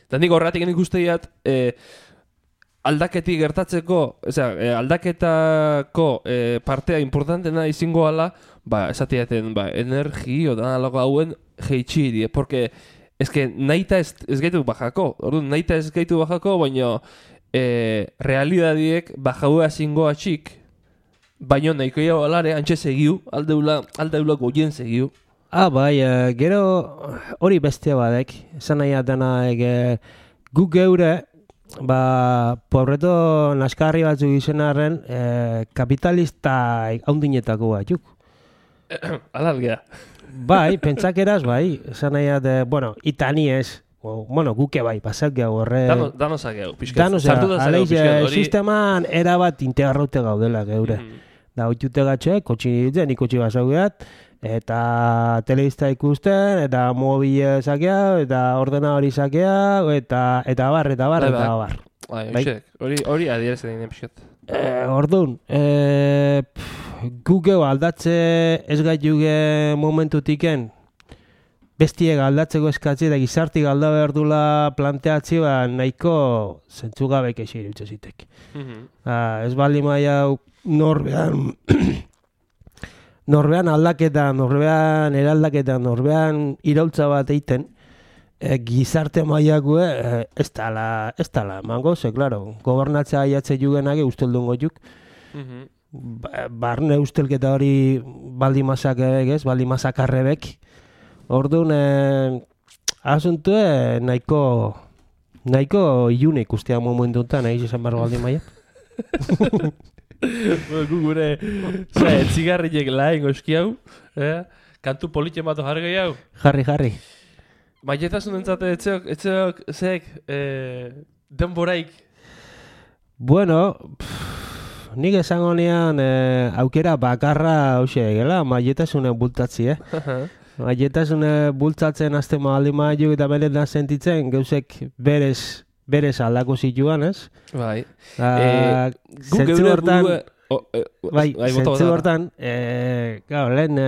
Da nik horretik ikuste diat, aldaketik gertatzeko, aldaketako partea importantena izango ala, esatiaten, energio da alago hauen geitxiri, porque nahita ez gaitu bajako, nahita ez gaitu bajako, baina realidadiek bajaua zingo atxik, baina nahikoia balare antxe segiu, aldeula goien segiu. Bai, gero hori bestea badek, esan nahi atena guk geure, pobreto naskarri batzuk izenarren kapitalista haundinetako batzuk. Alalgea. Bai, pentsakeraz, esan nahi ate, itani ez, guke pasak gau horre... Danosak gau, pixkat. Danosak, aleiz, sisteman erabat integraute gaudela geure. Da, oitute gatxe, kotxi ditzen, ikotxi basaugeat, eta telebista ikusten, eta mobile sakea, eta ordenadori sakea, eta bar. Hori adierezen egin pixkat. Orduan, guk aldatze ez gaituge momentutiken, bestiek aldatzeko eskatzi eta gizartik alda behar dula planteatzi, nahiko zentzugabek eixi irutze zitek. Ez bali maia norbean aldaketa, norbean eraldaketa, norbean iraultza bat eiten, gizarte maiakue ez tala mango, claro, gobernatzea aiatze jugenake usteldun goiuk, barne ustelketa hori baldimasak ez, baldimasak arrebek, orduan asuntue nahiko ilune ikustea momentuntan, nahi izan barro baldimaia. Gure zigarriek laen goizki hau, kantu politxe mato jarri hau. Jarri. Maietasun entzate etxeok zeek denboraik? Bueno, nik esango nean aukera bakarra hause egela, maietasunen bultatzi, Maietasunen bultzatzen azten mahaldi maiu eta benetan sentitzen, gauzek berez aldako zituan, ez? Bai. Zentzu hortan, zentzu hortan, lehen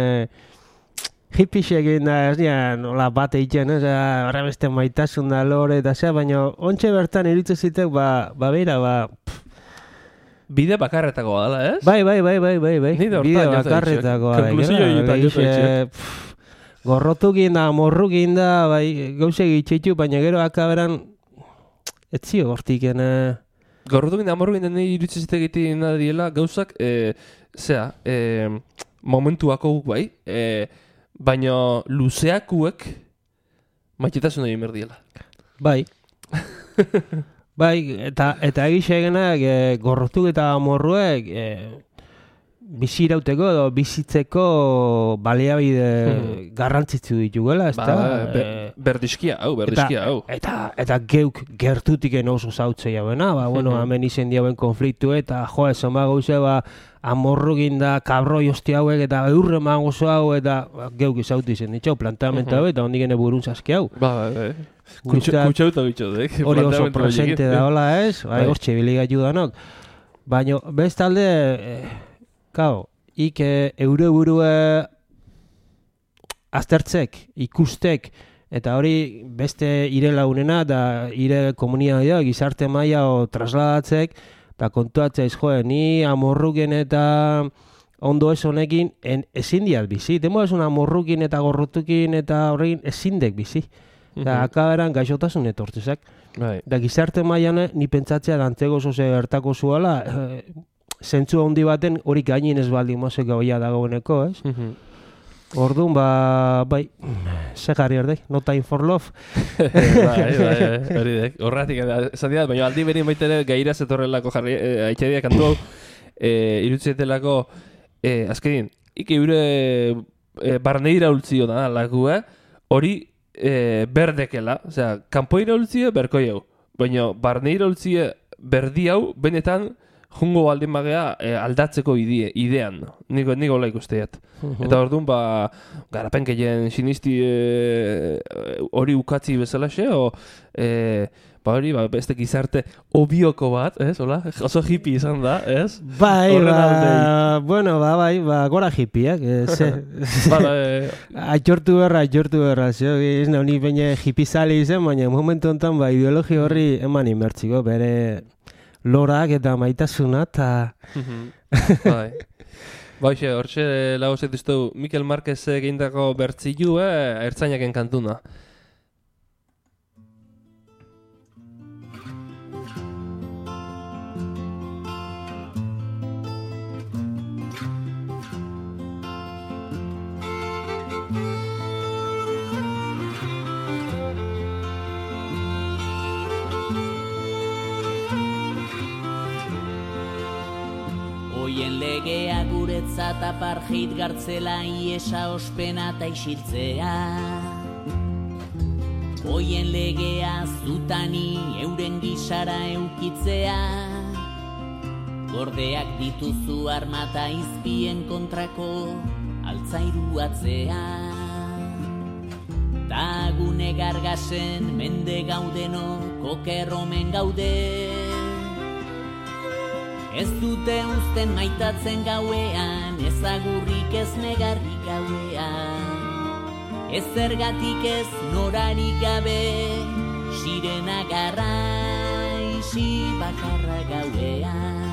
hippies egin da, ez nian, nola bat egiten, ez, horre beste maitasun da lore eta zea, baina ontxe bertan iritze zitek, beira, bide bakarretakoa dela, ez? Bai. Bide bakarretakoa. Gorrotukin da, morrukin da, bai, gauze gitxitu, baina gero akaberan etzio gortiken. Gorrotukin da, morrukin da, nire iritze zitek diela, gauzak, momentuako guk bai, baina luzeakuek maitetasun egin berdiela. Bai. Bai, eta egixe egenak gorrotuk eta morruek bizirauteko edo bizitzeko baliabide garrantzitsu dituela, ez da? Berdizkia hau. Eta geuk gertutik oso zautze jauena, hemen izen diauen konfliktu eta esan gauze, amorrukin da, kabroi hosti hauek eta eurre mangozo hau eta geuk izautu izen ditxau, planteamenta hau eta hondik ene burun zaski hau. Kutxauta bitxotek. Hori oso presente da, hola ez? Hortxe biliga judanok. Baina, bestalde, eure burue aztertzek, ikustek, eta hori beste ire lagunena da ire komunitatea, gizarte maila trasladatzek, eta kontuatzeiz, ni amorruken eta ondo ez honekin ezin diat bizi. Demo ez amorrukin eta gorrotukin eta horrekin ezindek bizi. Eta akaberan gaixotasun etortzezak. Da gizarte mailan ni pentsatzea dantzego zoze gertako zuela, zentzu handi baten hori gainin ez baldin mozek gaua dagoeneko, ez? Orduan, bai, ze jarri erdek, no time for love. Hori dek, horretik esan dira, baina aldi berin baitere gaira zetorrelako jarri, haitxedia kantu hau, irutzetelako, azkenin, eure barneira ultzio da, hori berdekela, osea, kanpoira ultzio berkoi hau, baina barneira ultzio berdi hau, benetan, jungo baldin bagea aldatzeko idean, niko hola ikusteat. Eta orduan, garapenkeien sinisti hori ukatzi bezalaxe, hori, beste gizarte obioko bat, ez, hola? Oso hippie izan da, ez? Bai, gora hippieak, aitortu berra, ez nahi baina hippizali izan, baina momentu honetan, ideologi horri eman inbertziko, bere lorak eta maitasuna eta... Baixe, hortxe lagozet diztu Mikel Marquez egindako bertzilu ertzainaken kantuna. Oien legea guretzat apartheid gartzela iesa ospena eta isiltzea. Oien legea zutani euren gisara eukitzea. Gordeak dituzu armata izpien kontrako altzairuatzea. Ta gune gargasen mende gaudeno kokerromen gaude. Ez dute uzten maitatzen gauean, ezagurrik ez negarrik gauean. Ez zergatik ez norarik gabe, sirena garraixi bakarra gauean.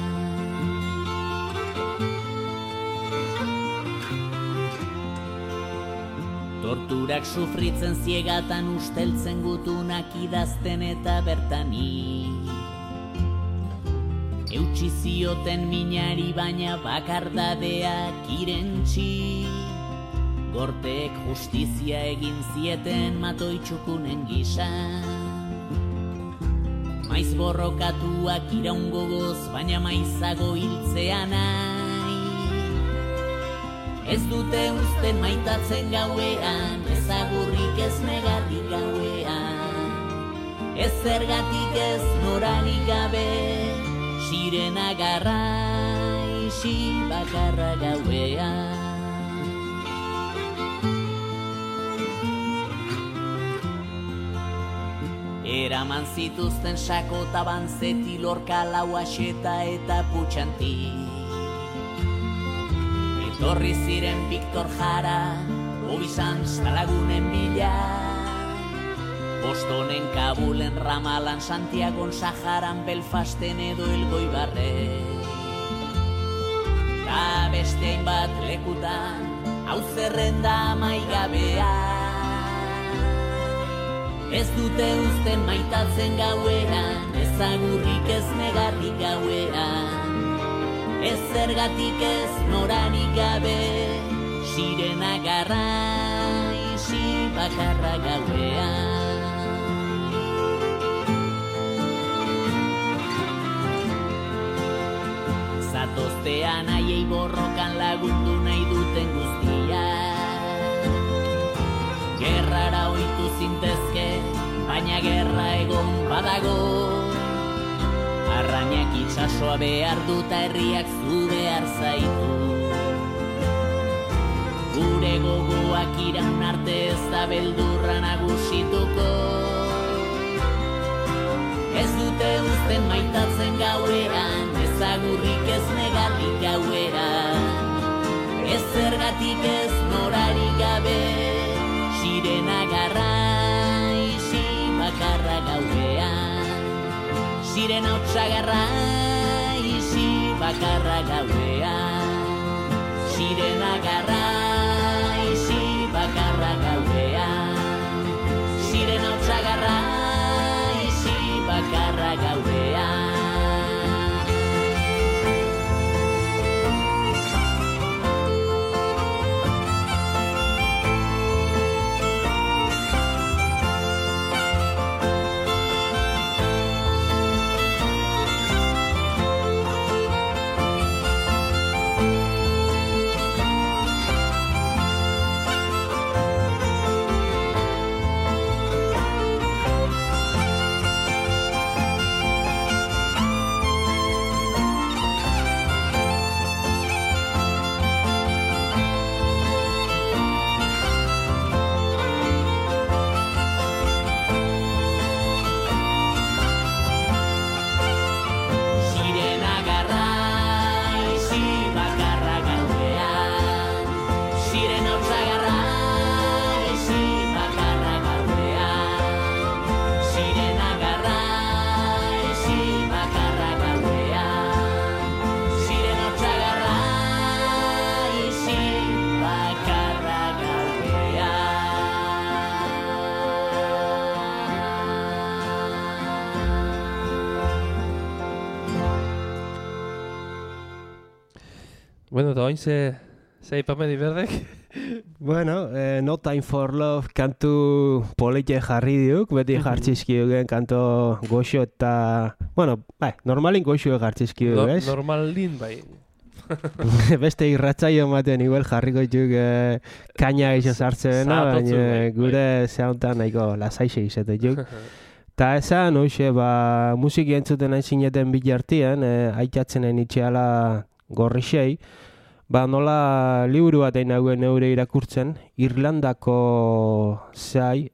Torturak sufritzen ziegatan usteltzen gutunak idazten eta bertani. Eutsi zioten minari baina bakardadeak irentsi. Gorteek justizia egin zieten matoitxukunen gisa. Maiz borrokatuak iraungogoz baina maizago hiltzea nahi. Ez dute uzten maitatzen gauean, ez agurrik ez negarrik gauean. Ez zergatik ez norarik gabe, sirena garraixi bakarra gauean. Eraman zituzten Sakotaban, Zeti, Lorca, Lauaxeta eta Putxanti. Etorri ziren Victor Jara, Obisanz talagunen bila. Bostonen, Kabulen, Ramalan, Santiagon, Saharan, Belfasten edo Elgoibarren. Ta beste hainbat lekutan, hau zerrenda amaigabea. Ez dute uzten maitatzen gauean, ez agurrik ez negarrik gauean. Ez zergatik ez norarik gabe, sirena garraixi bakarra gauean. Zatoztean haiei borrokan lagundu nahi duten guztia. Gerrara ohitu zintezke, baina gerra egon badago. Arrainak itsasoa behar duta herriak zu behar zaitu. Gure gogoak iraun arte ez da beldurra nagusituko. Ez dute uzten maitatzen gauean, ez agurrik ez negarrik gauean. Ez zergatik ez norarik gabe, sirena garraixi bakarra gauean. Sirena hotsa garraixi bakarra gauean. Sirena garraixi bakarra gauean. Sirena hotsa garraixi bakarra gauean. Bueno, eta oin ze ipamedi berdek? Bueno, No Time for Love kantu polite jarri diuk, beti jartzizkiugen kanto goxo eta... Bueno, normalin goxo jartzizkiu, ez? Normalin, bai. Beste irratzaio ematen igual jarriko diuk kaina eixo sartzena, baina gure zehauntan nahiko lasaixe izatetuk. Ta esan, hoxe, musiki entzuten hain zineten bilartian, aitatzenen itxeala gorrixei, nola liburu bat egin hauen eure irakurtzen, Irlandako zai,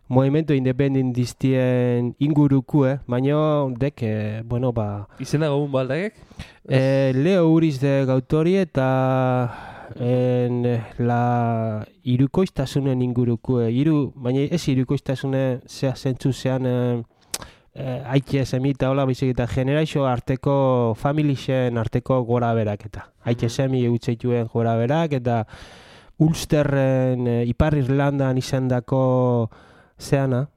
movimento independentistien ingurukue, baina dek, Izena gogun baldagek? Leo Uriz de gautori eta la irukoiztasunen inguruko, baina ez irukoiztasune zentzu zean haitxe semita hola bizik eta generaixo arteko, familixen arteko gora berak eta. Haitxe semi eutzeituen gora berak eta Ulsterren Ipar Irlandan izandako zeana.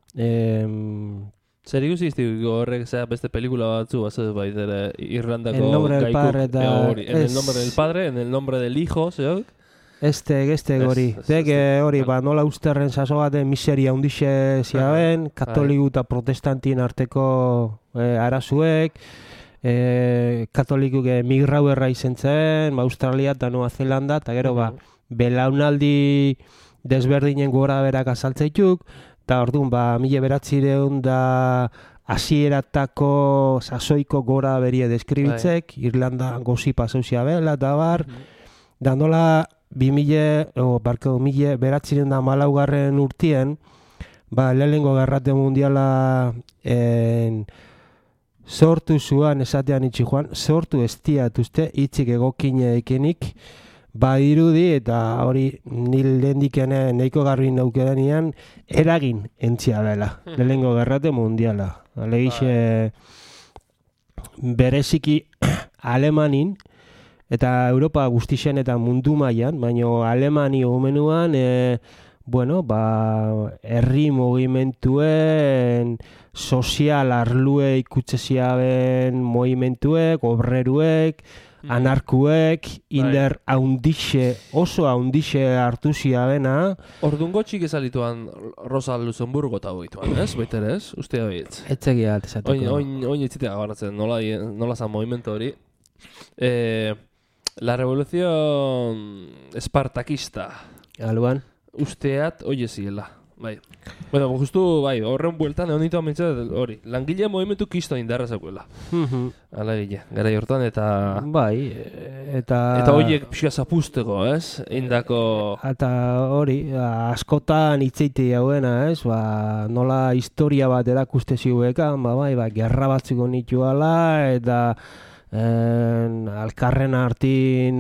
Zer ikusi iztiko horrek beste pelikula batzu batzut baitere Irlandako El nombre del padre eta... En el nombre del padre, en el nombre del hijo, zeok? Este gori. Hori, nola Ulsterren saso baten miseria hundixe ziaben, katoliku eta protestantin arteko arazuek, katolikuk migrauerra izen zen, Australia eta Nueva Zelanda, eta gero belaunaldi desberdinen gora berak azaltzeituk, eta orduan, 1900 da hasieratako sasoiko gora berie deskribitzek, Irlanda gozi pasauzia bela, eta bar, da nola 1914 urtien, lehenengo gerrate mundiala sortu zuan, esatean itxi joan, sortu estiatuzte, itxik egokine ekenik, dirudi eta hori nil lendikene neiko garbi naukedanian eragin entzia bela, lehenengo gerrate mundiala. Alegixe bereziki Alemanin, eta Europa guztixen eta mundu mailan, baina Alemani omenuan, herri movimentuen, sozial arlue ikutzeziaben movimentuek, obreruek, anarkuek, inder oso haundixe hartu ziabena. Orduan gotxik ezalituan Rosa Luxemburgo eta boituan, ez? Baitere ez? Ustea behitz. Etzegia atesatuko. Oin etzitea gabaratzen, nola zan movimentu hori. La revolución espartakista. Aluan. Usteat, oie ziela. Bai. Bueno, justu, horren bueltan, egon ditu amintzat, hori. Langile movimentu kisto indarra zekuela. Ala gile, gara jortan, eta... Bai, eta horiek pixka zapusteko, ez? Indako... Eta hori, askotan itzeite jauena, ez? Nola historia bat erakuste ziuekan, gerra batzuk nituala, eta... alkarren hartin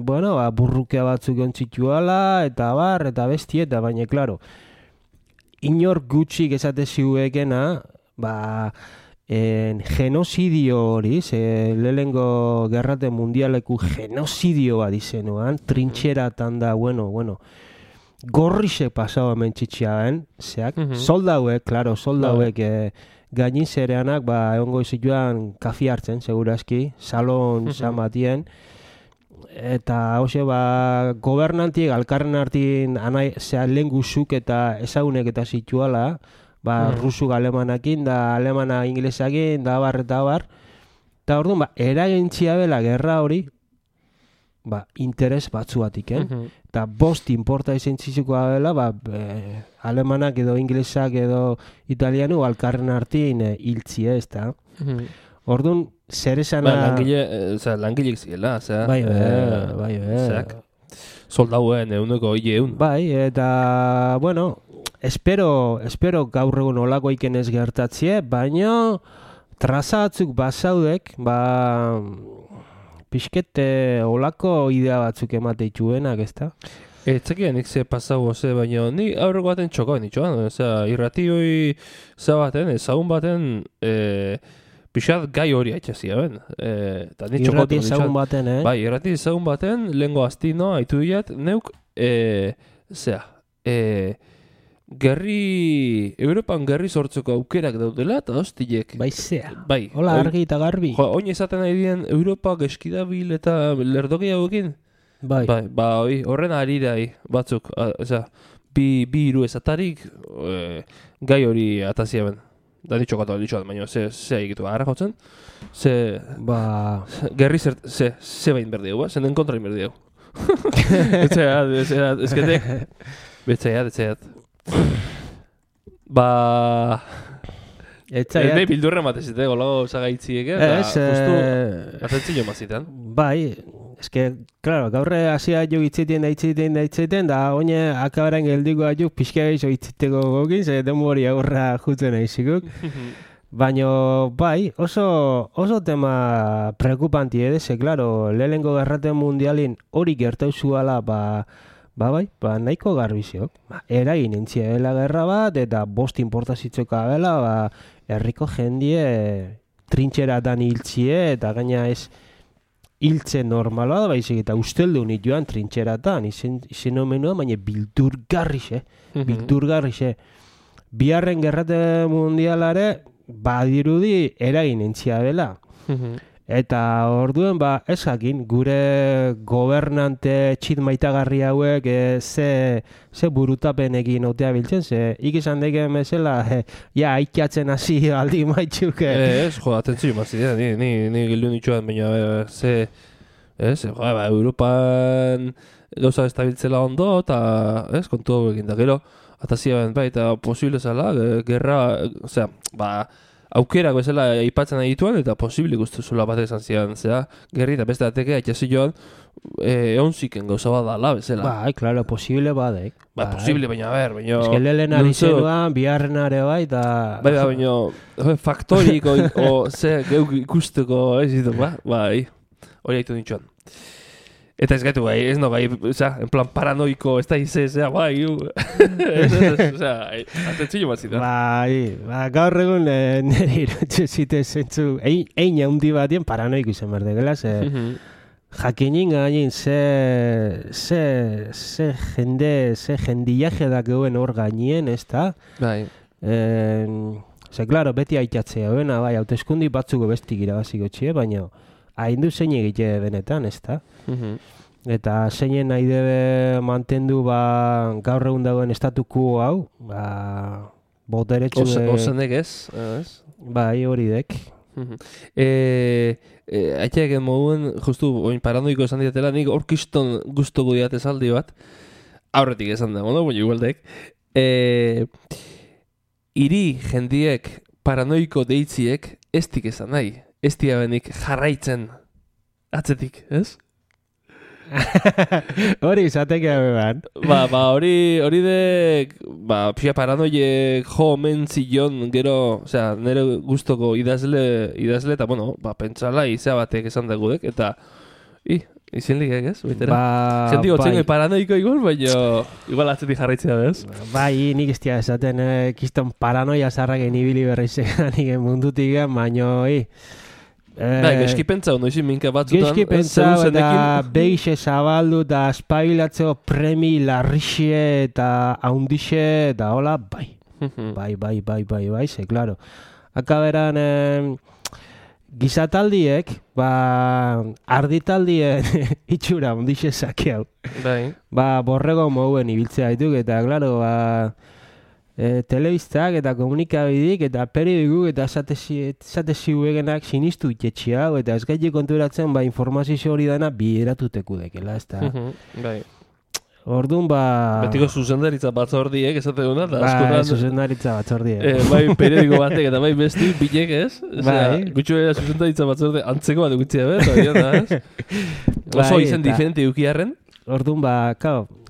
burrukea batzuk ontzituala eta besti eta baina klaro inor gutxik esate ziuekena genozidio hori lehenengo gerrate mundialeku genozidio bat izenuan trintxeratan da gorrixe pasau hemen txitxiaben soldauek gainin zereanak, egongo izituan kafi hartzen, segurazki, salon zamatien, eta hoxe, gobernantiek alkarren hartin lehen guzuk eta ezagunek eta zituala, rusuk alemanakin, da alemana inglesakin, da bar, eta orduan, eragintzia bela gerra hori, interes batzuatik, eta bost inporta izan txizukoa dela, alemanak edo inglesak edo italianu alkarren hartin hiltzi ez da. Orduan, zer esana... Langileek ziela, bai. Soldauen euneko eun. Bai, eta, espero gaur egun olako iken ez gertatzie, baina trazatzuk bazaudek, pixkete olako idea batzuk emateituenak, ez da? Etzekian nik ze pasau ze, baina ni aurreko baten txokoan nitxoan. Irratioi ezagun baten, pixat gai hori haitxazia ben. Irrati ezagun baten, Bai, irrati ezagun baten, lehenko aztino, haitu diat, neuk, Europan gerri sortzeko aukerak daudela, eta hostilek. Bai, zea. Bai. Hola, argi eta garbi. Oin esaten nahi dien Europa geskidabil eta lerdoki hauekin. Bai. Horren aridai batzuk, bi hiru ezatarik gai hori atazia ben. Da ditxokatu ditxoat, baina ze egitu gara jotzen. Gerri ze bain berdiegu, zen den kontra berdiegu. Ezketek. Betzaiat. Nei bildurra matezite, golago zagaitziek, justu atentzio mazitan. Bai, claro, gaurre hasia jo itziten, da oine akabaren geldiko ajuk pixka gaizo itziteko gokin, ze demori agurra jutzen aizikuk. Baina, bai, oso tema preocupanti ze, claro, lehenengo gerrate mundialin hori gertau zuala, nahiko garbiziok. Eragin entziela gerra bat, eta bost importazitzoka bela, herriko jendie trintxeratan hiltzie, eta gaina ez hiltze normala da, baizik, eta usteldu joan trintxeratan, izen omenua, baina bildurgarrixe. Biharren gerrate mundialare, badirudi eragin entzia dela. Eta orduen, ez jakin, gure gobernante txit maitagarri hauek ze burutapenekin otea biltzen, ze ikizan deken bezala, aitkatzen hasi aldi maitxuke. Ez, atentzio mazidea, ni gildu nitxuan, baina, Europan gauza estabiltzela ondo, eta, kontu hauekin da, gero, atazia eta posible zela, gerra, aukerak bezala aipatzen adituan, eta posible guztuzula bat esan zian, gerri eta beste ateke, atxasi joan, eonziken gauza bat dala bezala. Claro, posible badek. Posible, baina, baina... Ez que lehen ari zenuan, biharren are eta... Baina, faktoriko, geuk ikusteko, hori haitu nitxuan. Eta ez gaitu gai, ez no gai, en plan paranoiko, ez da izez, atentzio bat zita. Gaur egun nire irutxe zite zentzu, ein haundi batien paranoiko izan berdegela, jakinin gainin ze jendiaje da geuen hor gainien, ez da? Claro, beti aitatzea, hauteskundi batzuko bestik irabaziko txie, baina haindu zein egite benetan, ez da? Eta zeinen nahi debe mantendu gaur egun dagoen estatuko hau, boteretsu... Ozenek ez? Hori dek. Aiteak moduen, justu, paranoiko esan diatela, nik orkiston guztoko diate zaldi bat, aurretik esan dago, no? Baina igualdek. Iri jendiek paranoiko deitziek estik esan nahi. Ez diabenik jarraitzen atzetik, ez? Hori izateke beban. Hori dek, pia paranoiek jo omen zion gero, nire guztoko idazle, eta, pentsala izea batek esan dagudek, eta, izen ligek, ez? Zentik gotzen paranoiko igual, baina igual atzetik jarraitzea, ez? Nik ez tia esaten, kiston paranoia zarraken ibili berreizean, nigen mundutik, baina, Geski pentsa, noizi minka batzutan. Geski pentsa, eta behixe zabaldu, eta espailatzeo premi larrixe, eta haundixe, eta hola, bai, ze, klaro. Akaberan, gizataldiek, arditaldien itxura haundixe zakeau. Borrego mouen ibiltzea dituk, eta, klaro, telebistak eta komunikabidik eta periodikuk eta esateziuegenak sinistu itxetxia eta ez gaiti konturatzen informazio hori dana bideratuteku dekela, ez da? Orduan, betiko zuzendaritza batzordiek, esate duna, eta askotan... zuzendaritza batzordiek. Periodiko batek eta besti bilek, ez? Gutxo era zuzendaritza batzorde antzeko bat egutzea ez? Oso izen diferente eukiarren? Orduan,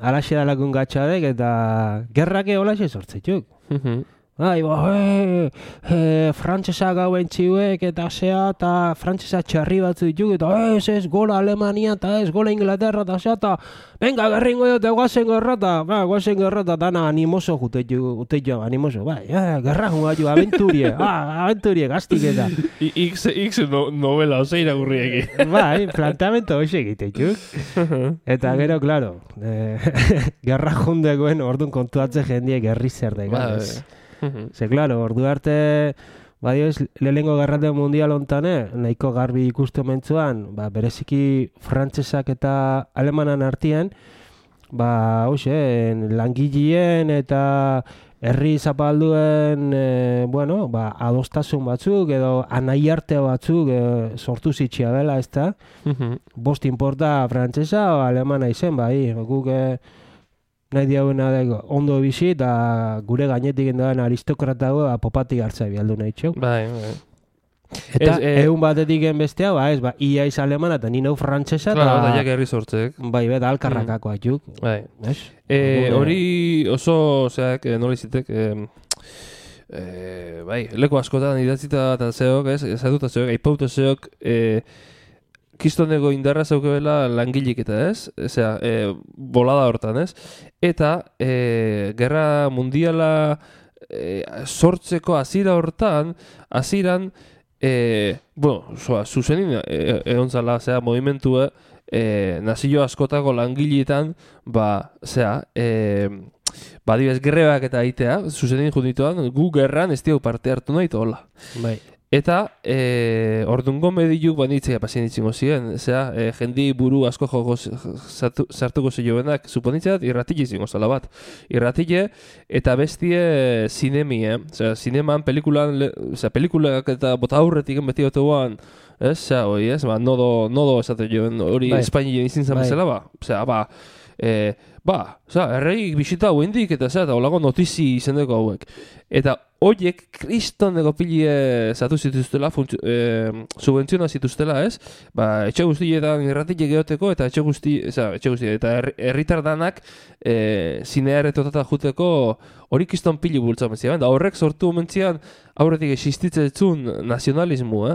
alaxe dalakun gatxadek eta gerrake holaxe sortzetuk. Frantzesa gauen txiuek eta frantzesa txarri batzu dituk eta ez gola Alemania eta ez gola Inglaterra eta eta venga, gerringo dute guazen gerra eta dana animoso juteio, animoso, gerra junga jo, aventurie, gaztik eta. X novela, ose iragurriek. Planteamento hoxe egitetuk. Eta gero, klaro, gerra jundekoen orduan kontuatze jendiek gerri zer degan. Ze, klaro, ordu arte, lehenengo gerrate mundial ontan, nahiko garbi ikustu mentzuan, bereziki frantzesak eta alemanan artien, langilien eta herri zapalduen, adostasun batzuk edo anai arte batzuk sortu zitxia dela, ez da? Bost inporta frantzesa o alemana izen, guk nahi diagoena ondo bizi eta gure gainetik endoan aristokratago popatik hartzea bialdu nahi txok. Eta egun batetik bestea, ia iz alemana eta nina frantzesa eta jak herri sortzek. Beta alkarrakako atxuk. Hori oso, nola izitek, bai, leku askotan idatzita eta zeok, ezaduta zeok, aipauta zeok, kistoneko indarra zaukebela langilik eta Osea, bolada hortan, Eta, gerra mundiala sortzeko hasiera hortan, hasieran, zuzenin egon zala, movimentue, nazio askotako langileetan, adibidez, grebak eta aitea, zuzenin jundituan, gu gerran ez diau parte hartu nahi hola. Bai. Eta, ordungo mediluk banitzea pasienitzingo ziren, jendi buru asko joko sartuko zioenak, suponitzeat, irratile izango zala bat. Irratile eta bestie zinemie, zineman pelikulak eta bota aurretik beti oteguan, nodo esate joen, hori Espainien izin zan bezala, erreik bisita huendik eta holako notizi izendeko hauek. Eta horiek kristoneko pilie zatu zituztela, subventziona zituztela, etxe guztietan irratik geoteko eta etxe guzti, eta herritar danak zinearetotata juteko hori kriston pili bultza mentzian. Da horrek sortu mentzian aurretik existitzetzun nazionalismu,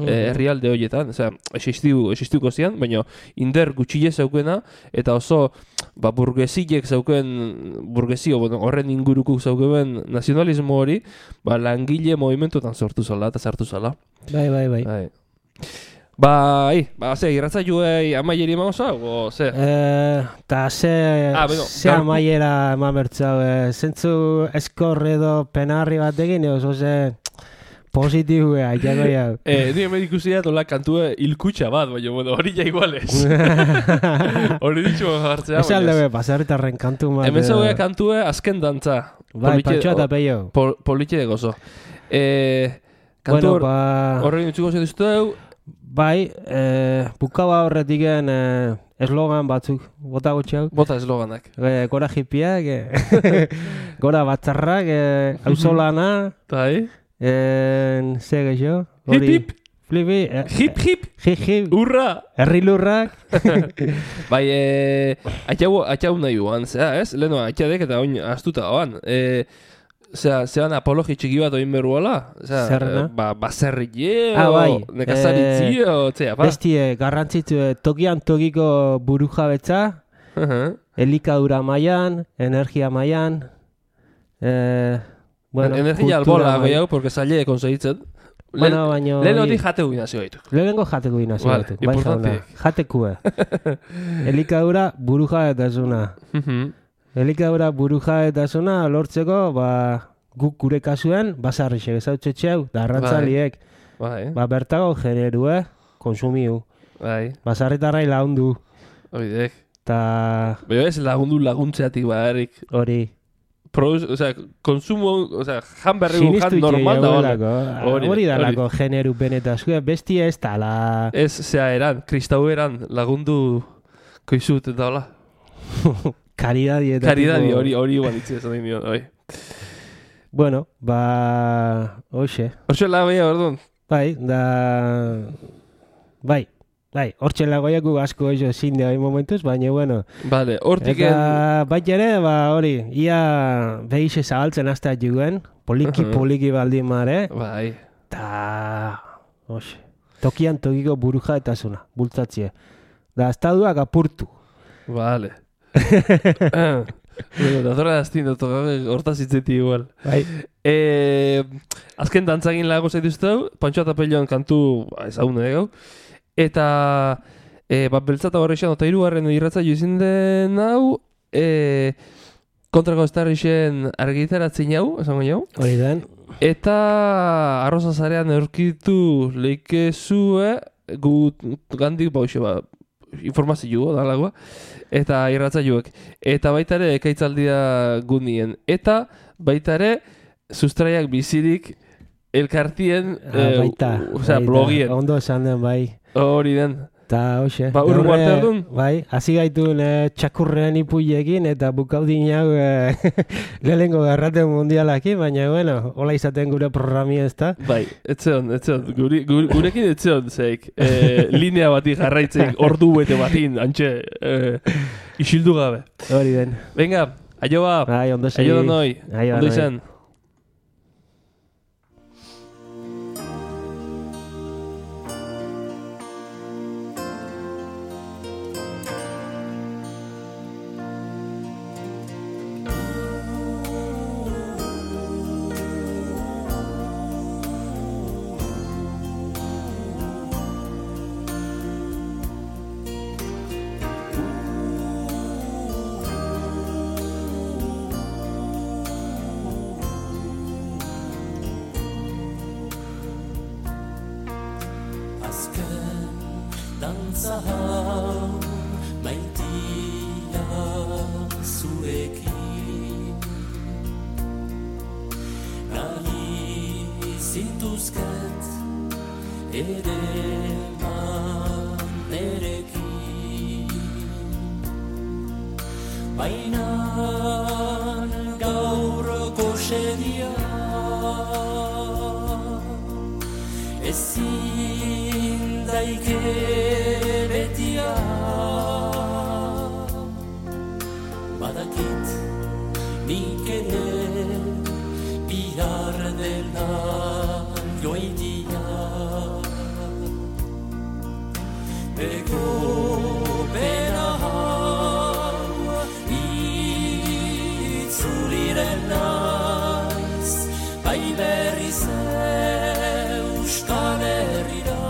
herrialde horietan, existiuko zian, baina inder gutxile zaukena, eta oso burgesiek zauken, horren inguruko zauken nazionalismo hori, langile movimentuetan sortu zala eta sartu zala. Bai. Irratza juei amaieri emauza, o ze? Ta ze amaiera eman bertzau, zentzu eskor edo penarri batekin, oso ze positibua, jago jau. Ni hemen ikusi da kantue hilkutxa bat, baina hori ja iguales. Hori ditxu jartzea. Ez alde pasarritarren kantu bat. Hemen zauea kantue azken dantza. Bai, Pantxoa eta Peio. Politxe de gozo. Kantu horrekin utxuko zetuzteu. Bai, bukaba horretiken eslogan batzuk, bota gotxeak. Bota esloganak. Gora hipiak, gora batzarrak, auzolana. Bai. Ze geixo? Hip hip. Flipi. Hip hip. Hip hip. Urra. Herri lurrak. Bai, atxau nahi guan, Leheno atxadek eta oin astuta oan. Zean apologi txiki bat oin beruala? Zerna? Baserrie, nekazaritzie, bestie, garrantzitzu, tokian tokiko buru jabetza, elikadura mailan, energia mailan, energia albola gehiago, porque zaile konsegitzen. Lehenotik jateko inazio gaitu. Lehenengo jateko inazio gaitu. Bai, jatekue. Elikadura buru jabetasuna. Elikadura buru jabetasuna lortzeko, guk gure kasuen, basarrixek ezautxetxeu, da arrantzaliek. Bertago generu, konsumiu. Basarritarrai lagundu. Oidek. Baina ez laguntzeatik barik. Hori. Konsumo, jan berregu jan normal da hori dalako generu benetazua, bestia ez tala. Ez, eran, kristau eran lagundu koizut eta hola. Karidadi. Hori banitzia esan dain dion, Bueno, hoxe. Horxe lagoia, orduan? Bai, hortxe lagoiaku asko oso zinde hori momentuz, baina, bueno. Vale, hortik... Eta, bai ere, hori, ia behize zabaltzen aztea juguen, poliki baldin mare. Bai. Ta, hoxe, tokian tokiko buruja eta zuna, bultzatzie. Da, estaduak apurtu. Vale. Dazora daztin, hortaz itzeti igual. Bai. Azken dantzagin lago zaituzteu, Pantxoa eta Peioan kantu ezagune gau. Eta beltzata horrexan, eta hirugarren irratza joizin den hau, kontrako estarrixen argitaratzen hau, esango jau. Hori den. Eta arrozazarean eurkitu leikezue, gu gandik bauxe informazio dalagoa, eta irratza joek. Eta baitare ekaitzaldia gunien. Eta baitare sustraiak bizirik elkartien blogien. Ondo esan den, bai. Hori den. Ta, hoxe. Urru arte erdun? Bai, hasi gaitun txakurrean ipuiekin eta bukaudin hau lehenengo garraten mundialaki, baina, bueno, hola izaten gure programia ez da. Bai, etzeon. Gurekin etzeon, zeik. Linea bati jarraitzen, ordu bete batin, antxe, isildu gabe. Hori den. Venga, aio ba. Bai, ondo segi. Aio da noi. Ondo izan. dantza hau maitia zurekin nahi zintuzket ere nerekin baina gaur goxedia ezin daike betia badakit nik ere bihar dela joitia bego bera hau itzuliren naiz bai berriz Euskal Herrira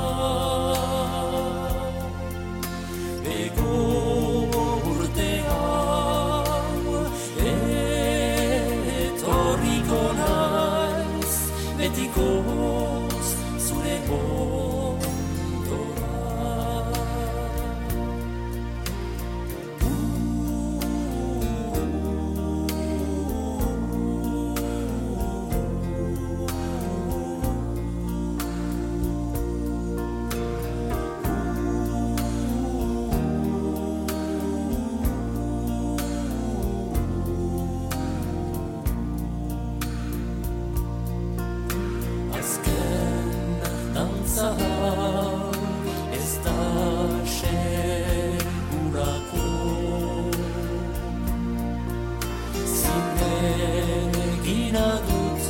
bego urte hau etorriko naiz betikoz zure ondora ez da segurako zinegina dut